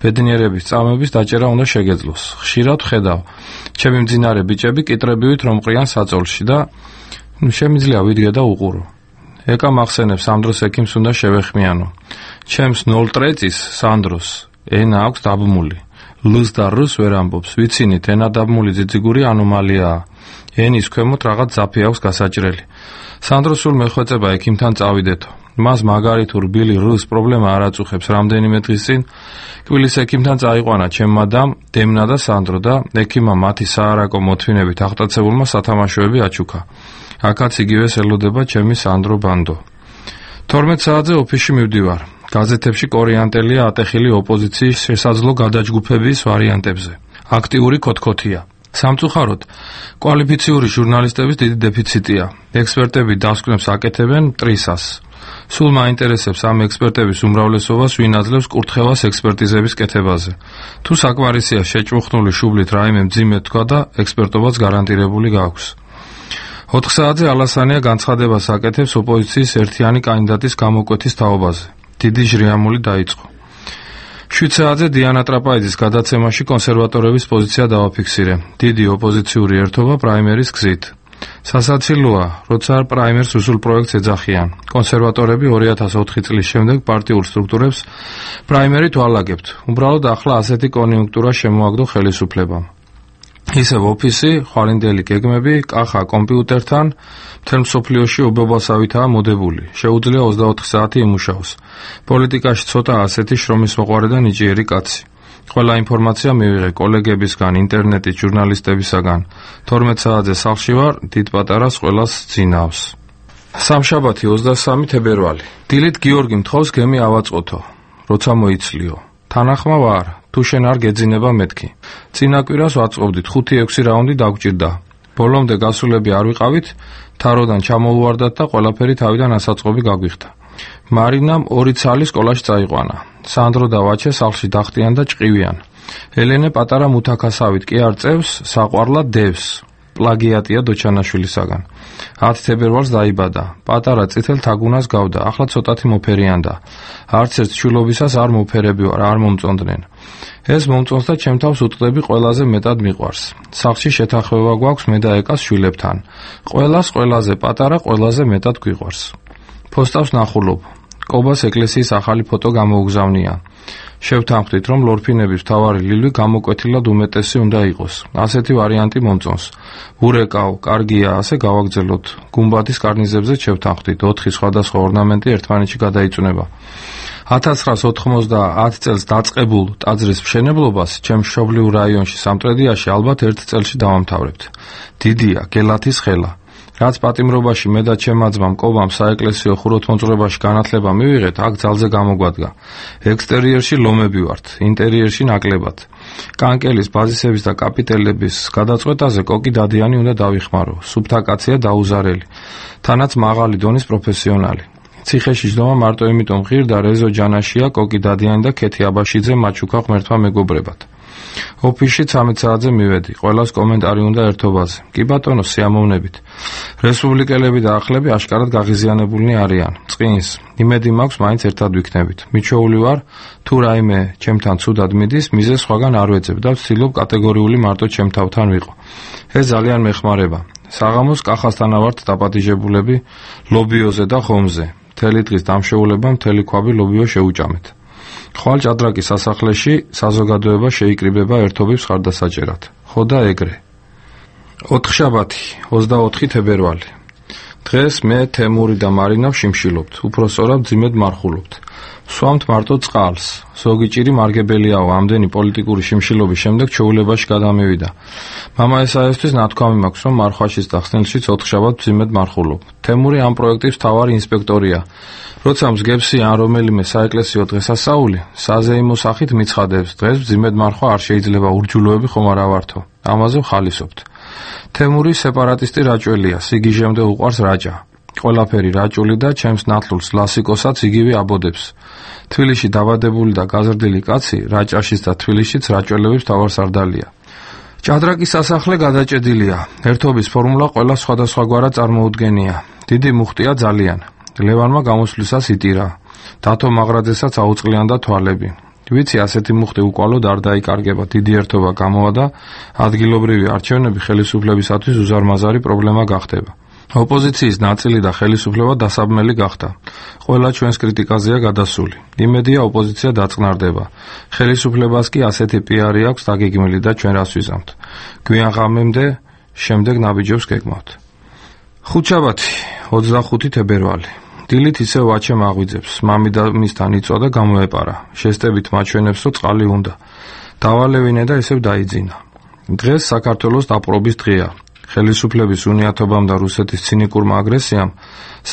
ბედნიერების წამების დაჭერა უნდა შეგეძლოს. ხშირად ხედავ, ჩემი მძინარე ბიჭები კიტრებივით რომ ყრიან საწოლში და შემიძლია ვიდგე და უყურო. ეკა მახსენებს ამ დროს ექიმს უნდა შევეხმიანო. ჩემს 0 ტრეწის სანდროს ენა აქვს დაბმული. ლს და რს ვერ ამბობს. ვიცინით, ენა დაბმული ძიძიგური ანომალიაა. ენის ქვემოთ რაღაც ძაფი აქვს გასაჭრელი. სანდრო სულ მეხვეწება ექიმთან წავიდეთო. მას მაგარი თუ რბილი რს პრობლემა არ აწუხებს. რამდენიმე დღის წინ კვილის ექიმთან წაიყვანა ჩემმა დამ, დემნა და სანდრო და ექიმმა მათი საარაკო მოთმინებით აღტაცებულმა სათამაშოები აჩუქა. აქაც იგივეს ელოდება ჩემი სანდრო ბანდო. 12 საათზე ოფისში მივდივარ. გაზეთებში კორიანტელია ატეხილი ოპოზიციის შესაძლო გადაჯგუფების ვარიანტებზე. აქტიური ქოთქოთია. სამწუხაროდ, კვალიფიციური ჟურნალისტების დიდი დეფიციტია. ექსპერტები დასკვნებს აკეთებენ მტრისას. სულ მაინტერესებს ამ ექსპერტების უმრავლესობას ვინ აძლევს კურთხევას ექსპერტიზების კეთებაზე. თუ საკმარისია შეჭმუხნული შუბლით რაიმე მძიმე თქვა და ექსპერტობაც გარანტირებული გაქვს. 4 საათზე ალასანია განცხადებას აკეთებს ოპოზიციის ერთიანი კანდიდატის გამოკვეთის თაობაზე. დიდი ჟრიამული დაიწყო. 7 საათზე დიანა ტრაპაიძის გადაცემაში კონსერვატორების პოზიცია დავაფიქსირე. დიდი ოპოზიციური ერთობა პრაიმერის გზით. სასაცილოა, როცა პრაიმერს უსულ პროექტს ეძახიან. კონსერვატორები 2004 წლის შემდეგ პარტიულ სტრუქტურებს პრაიმერით ვალაგებთ. უბრალოდ ახლა ასეთი კონიუნქტურა შემოაგდო ხელისუფლებამ. ისევ ოფისი, ხვალინდელი გეგმები, კახა კომპიუტერთან, მთელ მსოფლიოში ობობასავითაა მოდებული. შეუძლია 24 საათი იმუშაოს. პოლიტიკაში ცოტა ასეთი შრომის მოყვარე და ნიჭიერი კაცი. ყველა ინფორმაცია მივიღე კოლეგებისგან, ინტერნეტის ჟურნალისტებისაგან. 12 საათზე სახლში ვარ, დიდ-პატარას ყველას ძინავს. სამშაბათი 23 თებერვალი. დილით გიორგი მთხოვს გემი ავაწყოთო, როცა მოიცლიო. თანახმა ვარ, თუ შენ არ გეძინება მეთქი. წინა კვირას ვაწყობდით, 5-6 რაუნდი დაგვჭირდა. ბოლომდე გასულები არ ვიყავით, თაროდან ჩამოუვარდათ და ყველაფერი თავიდან ასაწყობი გაგვიხდა. მარინამ 2 ცალი სკოლაში წაიყვანა. სანდრო და ვაჩე სახლში დახტიან და ჭყივიან. ელენე პატარა მუთაქასავით კი არ წევს, საყვარლად დევს. პლაგიატია დოჩანაშვილისაგან. 10 თებერვალს დაიბადა. პატარა წითელ თაგუნას გავდა, ახლა ცოტათი მოფერიანდა. არც ერთ ჩულობისას არ მოფერები ვარ, არ მომწონდნენ. ეს მომწონს და ჩემ თავს უტყდები ყველაზე მეტად მიყვარს. სახლში შეთანხმება გვაქვს მე და ეკას შვილებთან. ყველას ყველაზე პატარა ყველაზე მეტად გვიყვარს. ფოსტავს ნახულობ. კობას ეკლესიის ახალი ფოტო გამოუგზავნია. შევთანხმდით, რომ ლორფინების მთავარი ლილვი გამოკვეთილად უმეტესი უნდა იყოს. ასეთი ვარიანტი მომწონს. ურეკავ, კარგია, ასე გავაგრძელოთ. გუმბათის კარნიზებზე შევთანხმდით, 4 სხვადასხვა ორნამენტი ერთმანეთში გადაიწუნება. 1990 წელს დაწყებულ ტაძრის მშენებლობას ჩემს მშობლიურ რაიონში სამტრედიაში ალბათ 1 წელში დავამთავრებთ. დიდია გელათის ხელა. რაც პატიმრობაში მე და ჩემმა ძმამ კობამ საეკლესიო ხუროთმოძღვრებაში განათლება მივიღეთ, აქ ძალზე გამოგვადგა. ექსტერიერში ლომები ვართ, ინტერიერში ნაკლებად. კანკელის, ბაზისების და კაპიტელების გადაწყვეტაზე კოკი დადიანი უნდა დავიხმარო. სუფთა კაცია დაუზარელი. თანაც მაღალი დონის პროფესიონალი. ციხეში ჯდომა მარტო იმიტომ ღირდა რეზო ჯანაშია, კოკი დადიანი და ქეთი აბაშიძე მაჩუკა ღმერთმა მეგობრებად. ოფისში 13 საათზე მივედი. ყველას კომენტარი უნდა ერთობაზე. კი ბატონო, სიამოვნებით. რესპუბლიკელები და ახლები აშკარად გაღიზიანებულნი არიან. წყინს, იმედი მაქვს მაინც ერთად ვიქნებით. მიჩვეული ვარ, თუ რაიმე ჩემთან ცუდად მიდის, მიზეს სხვაგან არ ვეძებ და ვცდილობ კატეგორიული მარტო ჩემთავთან ვიყო. ეს ძალიან მეხმარება. საღამოს კახასთანა ვართ დაპატიჟებულები ლობიოზე და ხომზე. მთელი დღის დამშეულება მთელი ქვაბი ლობიო შეუჭამეთ. ხვალ ჭადრაკის სასახლეში საზოგადოება შეიკრიბება ერთობის ხარდასაჭერად. ხო და ეგრე. 4 შაბათი, 24 თებერვალი. დღეს მე თემური და მარინა ვშიმშილობთ, უпростоრად ძიმედ მარხულობთ. ვსვამთ მარტო წყალს. ზოგი ჭირი მარგებელიაო, ამდენი პოლიტიკური შიმშილობის შემდეგ ჩეულებაში გადამივიდა. მამა ესაისთვის ნათქვამი მაქვს, რომ მარხვაშიც და ხსნელშიც 4 შაბათ ძიმედ მარხულობ. თემური ამ პროექტის მთავარი ინსპექტორია. როცა მსგებსი ან რომელიმე საეკლესიო დღესასწაული, საზეიმო სახით მიცხადებს, დღეს ძიმედ მარხვა არ შეიძლება, ურჯულოები ხომ არა ვართო. ამაზე ვხალისობთ. თემური სეპარატისტი რაჭველია, სიგიჟემდე უყვარს რაჭა. ყველაფერი რაჭული და ჩემს ნათლულს ლასიკოსაც იგივე აბოდებს. თბილისში დაბადებული და გაზრდილი კაცი რაჭაშიც და თბილისშიც რაჭველების მთავარსარდალია. ჭადრაკის სასახლე გადაჭედილია. ერთობის ფორმულა ყველა სხვადასხვაგვარად წარმოუდგენია. დიდი მუხტია ძალიან. ლევანმა გამოსვლისას იტირა. დათო მაღრაძესაც აუწყლიანდა თვალები. ვიცი, ასეთი მუხტი უკვალოდ არ დაიკარგება, დიდი ერთობა გამოვა და ადგილობრივი არჩევნები ხელისუფლებისათვის უზარმაზარი პრობლემა გახდება. ოპოზიციის ნაწილი და ხელისუფლება დასაბმელი გახდა. ყველა ჩვენს კრიტიკაზეა გადასული. იმედია ოპოზიცია დაწყნარდება. ხელისუფლებას კი ასეთი პიარი აქვს დაგეგმილი და ჩვენ რას ვიზამთ. გვიან ღამემდე შემდეგ ნაბიჯებს გეგმავთ. ხუთშაბათი, 25 თებერვალი. დილით ისევ ვაჩემ აღვიძებს. მამი და მისთან იწვა და გამოეპარა. შესტებით მაჩვენებს, რომ წყალი უნდა. დავალევინე და ისევ დაიძინა. დღეს საქართველოს დაპყრობის დღეა. ხელისუფლების უნიათობამ და რუსეთის ცინიკურმა აგრესიამ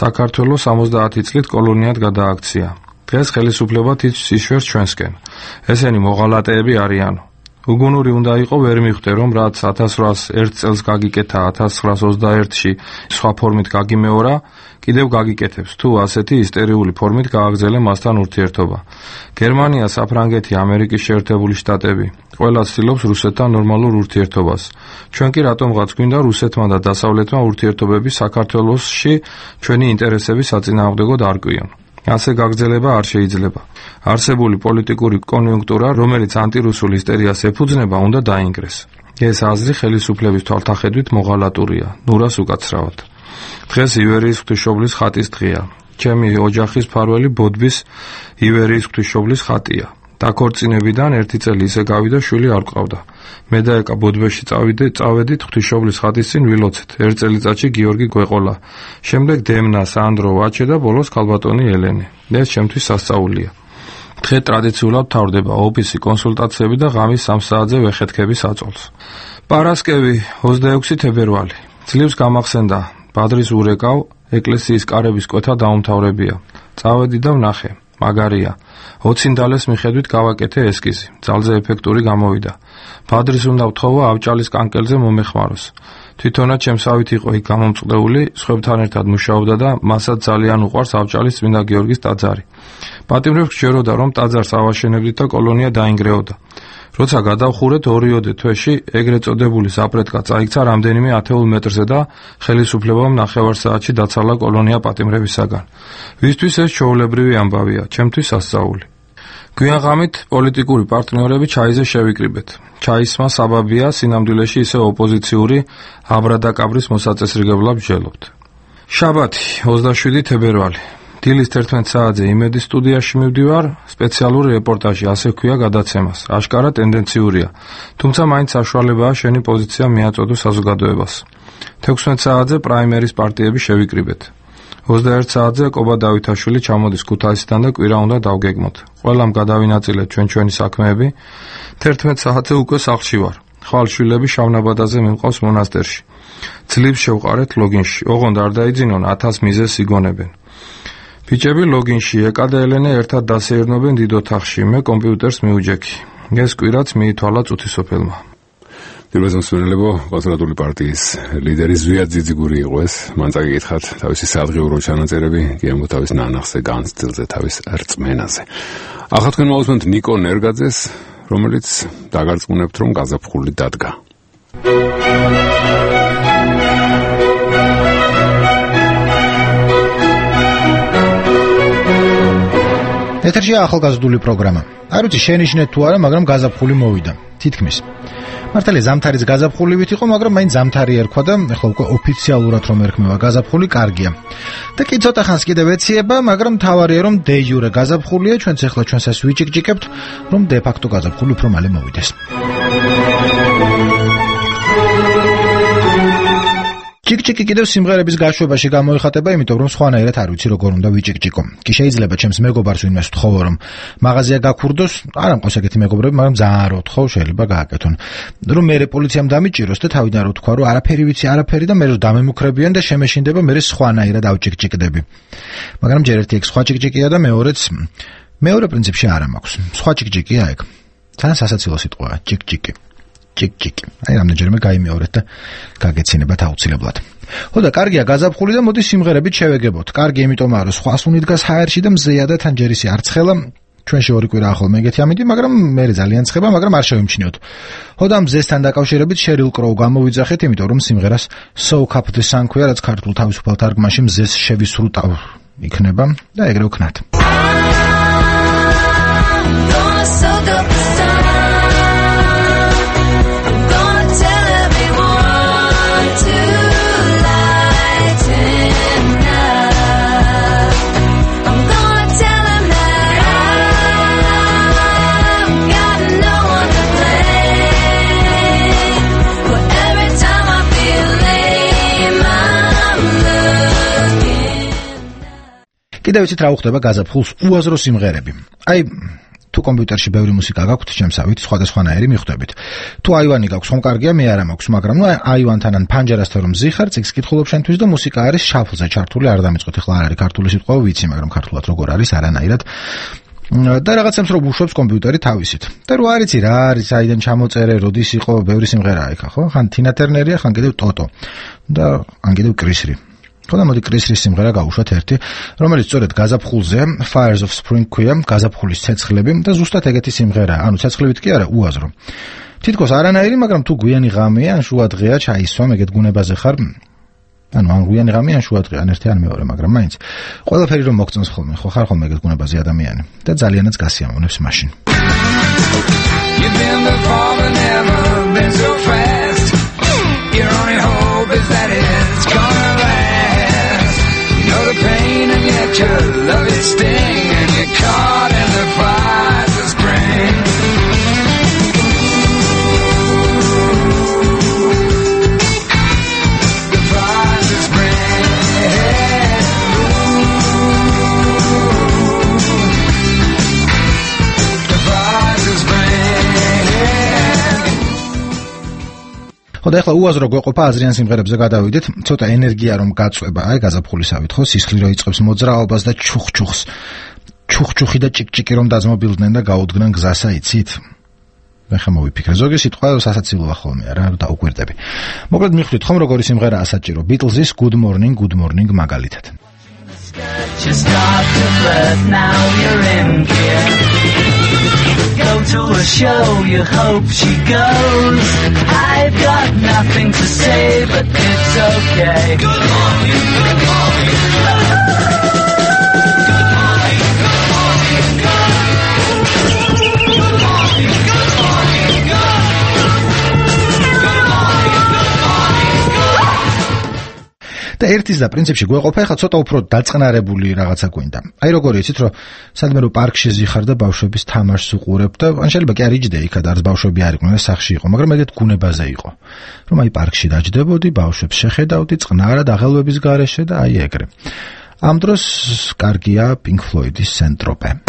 საქართველოს 70 წლით კოლონიად გადააქცია. დღეს ხელისუფლება თითქმის იშვერს ჩვენსკენ. ესენი მოღალატეები არიანო. უგუნური უნდა იყო ვერ მიხვდე, რომ რაც 1801 წელს გაგიკეთა 1921-ში სხვა ფორმით გაგიმეორა, კიდევ გაგიკეთებს, თუ ასეთი ისტერიული ფორმით გააგრძელე მასთან ურთიერთობა. გერმანია, საფრანგეთი, ამერიკის შეერთებული შტატები ყველა ცდილობს რუსეთთან ნორმალურ ურთიერთობას. ჩვენ კი რატომღაც გვინდა რუსეთმა და დასავლეთმა ურთიერთობები საქართველოსში ჩვენი ინტერესების საწინააღმდეგოდ არ კვიონ. ასე გაგრძელება არ შეიძლება. არსებული პოლიტიკური კონიუნქტურა, რომელიც ანტირუსულ ისტერიას ეფუძნება, უნდა დაინგრეს. ეს აზრი ხელისუფლების თვალთახედვით მოღალატურია, ნურას უკაცრავად. დღეს ივერიის ღვთისმშობლის ხატის დღეა. ჩემი ოჯახის მფარველი ბოდბის ივერიის ღვთისმშობლის ხატია. დაქორწინებიდან 1 წელი ისე გავიდა, შვილი არ გყავდა. მე და ეკა ბოდბეში წავედით ღვთისმშობლის ხატის წინ ვილოცეთ. 1 წელიწადში გიორგი გვეყოლა. შემდეგ დემნა, სანდრო, ვაჩე და ბოლოს ქალბატონი ელენე. ეს ჩემთვის სასწაულია. დღე ტრადიციულად თავდება ოფისი, კონსულტაციები და ღამის 3 საათზე ვეხეთქები საწოლს. პარასკევი, 26 თებერვალი. ძლივს გამახსენდა ბადრის ურეკავ, ეკლესიის კარების კვეთა დაუმთავრებია. წავედი და ვნახე. მაგარია. 20 დალეს მიხედვით გავაკეთე ესკიზი. ძალზე ეფექტური გამოვიდა. ბადრის უნდა ვთხოვა ავჭალის კანკელზე მომეხმაროს. თვითონაც ჩემსავით იყო იქ გამომწყდეული, სხვებთან ერთად მუშაობდა და მასაც ძალიან უყვარს ავჭალის წმინდა გიორგის ტაძარი. პატიმრებს გჯეროდა, რომ ტაძარს ავაშენებდით და კოლონია დაინგრეოდა. როცა გადავხურეთ 2-ოდე თვეში ეგრეთ წოდებული ზაპრეტკა წაიქცა რამდენიმე 10 მეტრზე და ხელისუფლებამ 9 საათში დაცალა კოლონია პატიმრებისაგან. ვისთვის ეს ჩვეულებრივი ამბავია, ჩემთვის სასწაული. გვიან ღამით პოლიტიკური პარტნიორები ჩაიზე შევიკრიბეთ. ჩაისმა საბაბია სინამდვილეში ისე ოპოზიციური აბრადაკაბრის მოსაწესრიგებლად ვჯელობთ. შაბათი, 27 თებერვალი. დილის 11 საათზე იმედის სტუდიაში მივდივარ, სპეციალური რეპორტაჟი, ასე ქვია გადაცემას. აშკარა ტენდენციურია, თუმცა მაინც საშუალებაა შენი პოზიცია მიაწოდო საზოგადოებას. 16 საათზე პრაიმერის პარტიები შევიკრიბეთ. 21 საათზე კობა დავითაშვილი ჩამოდის ქუთაისიდან და კვირა უნდა დავგეგმოთ. ყველამ გადავინაწილეთ ჩვენი საქმეები. 11 საათზე უკვე სახლში ვარ. ხვალშვილები შავნაბადაზე მიმყავს მონასტერში. ძლივს შევყარეთ ლოგინში. ოღონდ არ დაიძინონ 1000 მიზეზს იგონებენ. ბიჭები ლოგინში ეკა და ელენე ერთად დასეირნობენ დიდ ოთახში. მე კომპიუტერს მიუჯექი. ეს კვირაც მიითვალა წუთისოფელმა. პირველ მსმენელებო, კონსერვატული პარტიის ლიდერი ზვიად ძიძიგური იყო ეს. მან წაგიკითხათ თავისი სადღიურო ჩანაწერები, გემო თავის ნანახზე, განცდილზე, თავის რწმენაზე. ახლა თქვენ მოусმენთ ნიკო ნერგაძეს, რომელიც დაგარწმუნებთ, რომ გაზაფხული დადგა. ეთერშია ახალგაზრდული პროგრამა. არ ვიცი შენიშნეთ თუ არა, მაგრამ გაზაფხული მოვიდა. თითქმის. მართალია ზამთარიც გაზაფხულივით იყო, მაგრამ მაინც ზამთარი ერქვა და ახლა უკვე ოფიციალურად რომ ერქმევა გაზაფხული, კარგია. და კი ცოტა ხანს კიდევ ეციება, მაგრამ თავარია რომ დე იურე გაზაფხულია, ჩვენც ახლა ჩვენსაც ვიჭიკჭიკებთ, რომ დე ფაქტო გაზაფხული უფრო მალე მოვიდეს. ჭიკჭიკი კიდევ სიმღერების გაშვებაში გამოიხატება, იმიტომ რომ სხვანაირად არ ვიცი როგორ უნდა ვიჭიკჭიკო. კი შეიძლება ჩემს მეგობარს ვინმეს ვთხოვო რომ მაღაზია გაქურდოს, არ ამყავს ეგეთი მეგობრები, მაგრამ ძალიან რო ვთხოვ, შეიძლება გააკეთონ. რომ მე პოლიციამ დამიჭიროს და თავიდან რო თქვა რომ არაფერი ვიცი, არაფერი და მე რო დამემუქრებიან და შემეშინდება, მე სხვანაირად ავჭიკჭიკდები. მაგრამ ჯერ ერთი ეგ სხვა ჭიკჭიკია და მეორე პრინციპში არ მაქვს. სხვა ჭიკჭიკია ეგ. თან სასაცილო სიტყვაა, ჭიკჭიკი. ჭიკჭიკი. აი რამდენჯერმე გაიმეორეთ და გაგეცინებათ აუცილებლად. ხო და კარგია გაზაფხული და მოდი სიმღერებით შევეგებოთ. კარგი იმიტომაა რომ სხვა სუნი დგას ჰაერში და მზეა და თან ჯერ ისე არ ცხელა. ჩვენში ორი კვირა ახლა მეგეთი ამინდი, მაგრამ მე ძალიან ცხება, მაგრამ არ შევიმჩნიოთ. ხო და მზესთან დაკავშირებით Sheryl Crow გამოვიძახეთ, იმიტომ რომ სიმღერას Soak Up the Sun ქვია, რაც ქართულ თავისუფალ თარგმანში მზეს შევისრუტა იქნება და ეგრე ვქნათ. კიდევ ვიცით რა უხდება გაზაფხულს უაზრო სიმღერები. აი თუ კომპიუტერში ბევრი მუსიკა გაქვთ, შემსავით სხვადასხვანაირი მიხვდებით. თუ აივანი გაქვს, ხომ კარგია, მე არა მაქვს, მაგრამ აივანთან ან პანჯერასთან რომ ზიხარ, წიგს კითხულობ შენთვის და მუსიკა არის შაფლზე ჩართული, არ დამიწყოთ ახლა არ არის ქართული სიტყვა, ვიცი, მაგრამ ქართულად როგორ არის არანაირად. და რაღაცებს რომ უშვებს კომპიუტერი თავისით. და რო არიცი რა არის, აიდან ჩამოწერე, როდის იყო, ბევრი სიმღერაა იქ, ხო? ხან თინა ტერნერია, ხან კიდევ ტოტო და ან კიდევ კრისრი. ხო და მოდი კრისრის სიმღერა გავუშვათ ერთი, რომელიც სწორედ გაზაფხულზე, Fires of Spring ქვია, გაზაფხულის ცეცხლები და ზუსტად ეგეთი სიმღერაა. ანუ ცეცხლებით კი არა, უაზრო. თითქოს არანაირი, მაგრამ თუ გვიანი ღამეა, ან შუა დღეა, ჩაისვამ, ეგეთ გუნებაზე ხარ, ანუ ან გვიანი ღამე, ან შუა დღე, ან ერთი ან მეორე, მაგრამ მაინც ყველაფერი რომ მოგწონს ხოლმე, ხო ხარ ხოლმე ეგეთ გუნებაზე ადამიანი და ძალიანაც გასიამოვნებს მაშინ. You've been before but never been so fast. Your only hope is that it's gonna last. You know the pain and yet you love its sting, and you're caught in the fires of spring. The fires of spring. The fires of spring. ხო და ახლა უაზრო გვეყოფა აზრიან სიმღერებზე გადავიდეთ, ცოტა ენერგია რომ გაწვება, აი გაზაფხულისავით, ხო, სისხლი რო იწყებს მოძრაობას და ჩუხჩუხს. ჩუხჩუხი და ჭიკჭიკი რომ დაძმობილდნენ და გაუდგნენ გზასა, იცით? ახლა მოვიფიქრე, ზოგი სიტყვა სასაცილოა ხოლმე, რა დაუკვირდები. მოკლედ მიხვდით ხომ როგორი სიმღერაა საჭირო, Beatles-ის Good Morning, Good Morning მაგალითად. Just start to flirt, now you're in gear. Go to a show, you hope she goes. I've got nothing to say, but it's okay. Good morning, good morning. Good morning, good morning, good morning, good morning, good morning. და ერთის და პრინციპში გვეყოფა, ხა ცოტა უფრო დაწყნარებული რაღაცა გვინდა. აი როგორი იცით, რომ სადმე რომ პარკში ზიხარ და ბავშვების თამაშს უყურებ და ან შეიძლება კი არ იჯდე იქ და არც ბავშვები არ იყვნენ და სახლში იყო, მაგრამ ეგეთ გუნებაზე იყო. რომ აი პარკში დაჯდებოდი, ბავშვებს შეხედავდი წყნარად აღელვების გარეშე და აი ეგრე. ამ დროს კარგია Pink Floyd-ის Saint-Tropez.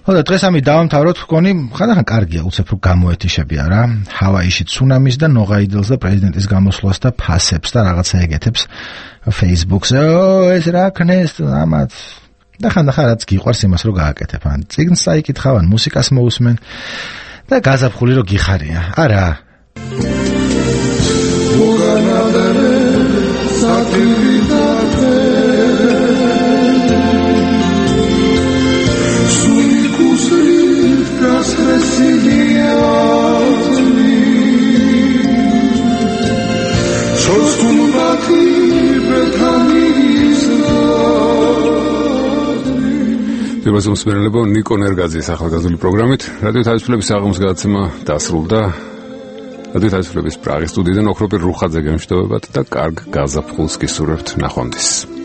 ხოდა დღეს ამი დავამთავროთ, გონი ხანდახან კარგია უცებ რომ გამოეთიშებია რა. ჰავაიში ცუნამის და ნოღაიდელს და პრეზიდენტის გამოსვლას და ფასებს და რაღაცა ეგეთებს Facebook-ზე. ეს რა ქნეს ამათ. და ხანდახან რაც გიყვარს იმას რომ გააკეთებ. ან წიგნს საიკითხავ, ან მუსიკას მოусმენ და გაზაფხული რომ გიხარია. არა. პირველს მსმენელებო ნიკო ნერგაძის ახალგაზრდული პროგრამით რადიო თავისუფლების საღამოს გადაცემა დასრულდა. რადიო თავისუფლების პრაღის სტუდიიდან ოქროპირ რუხაძე გემშვიდობებათ და კარგ გაზაფხულს გისურვებთ. ნახვამდის.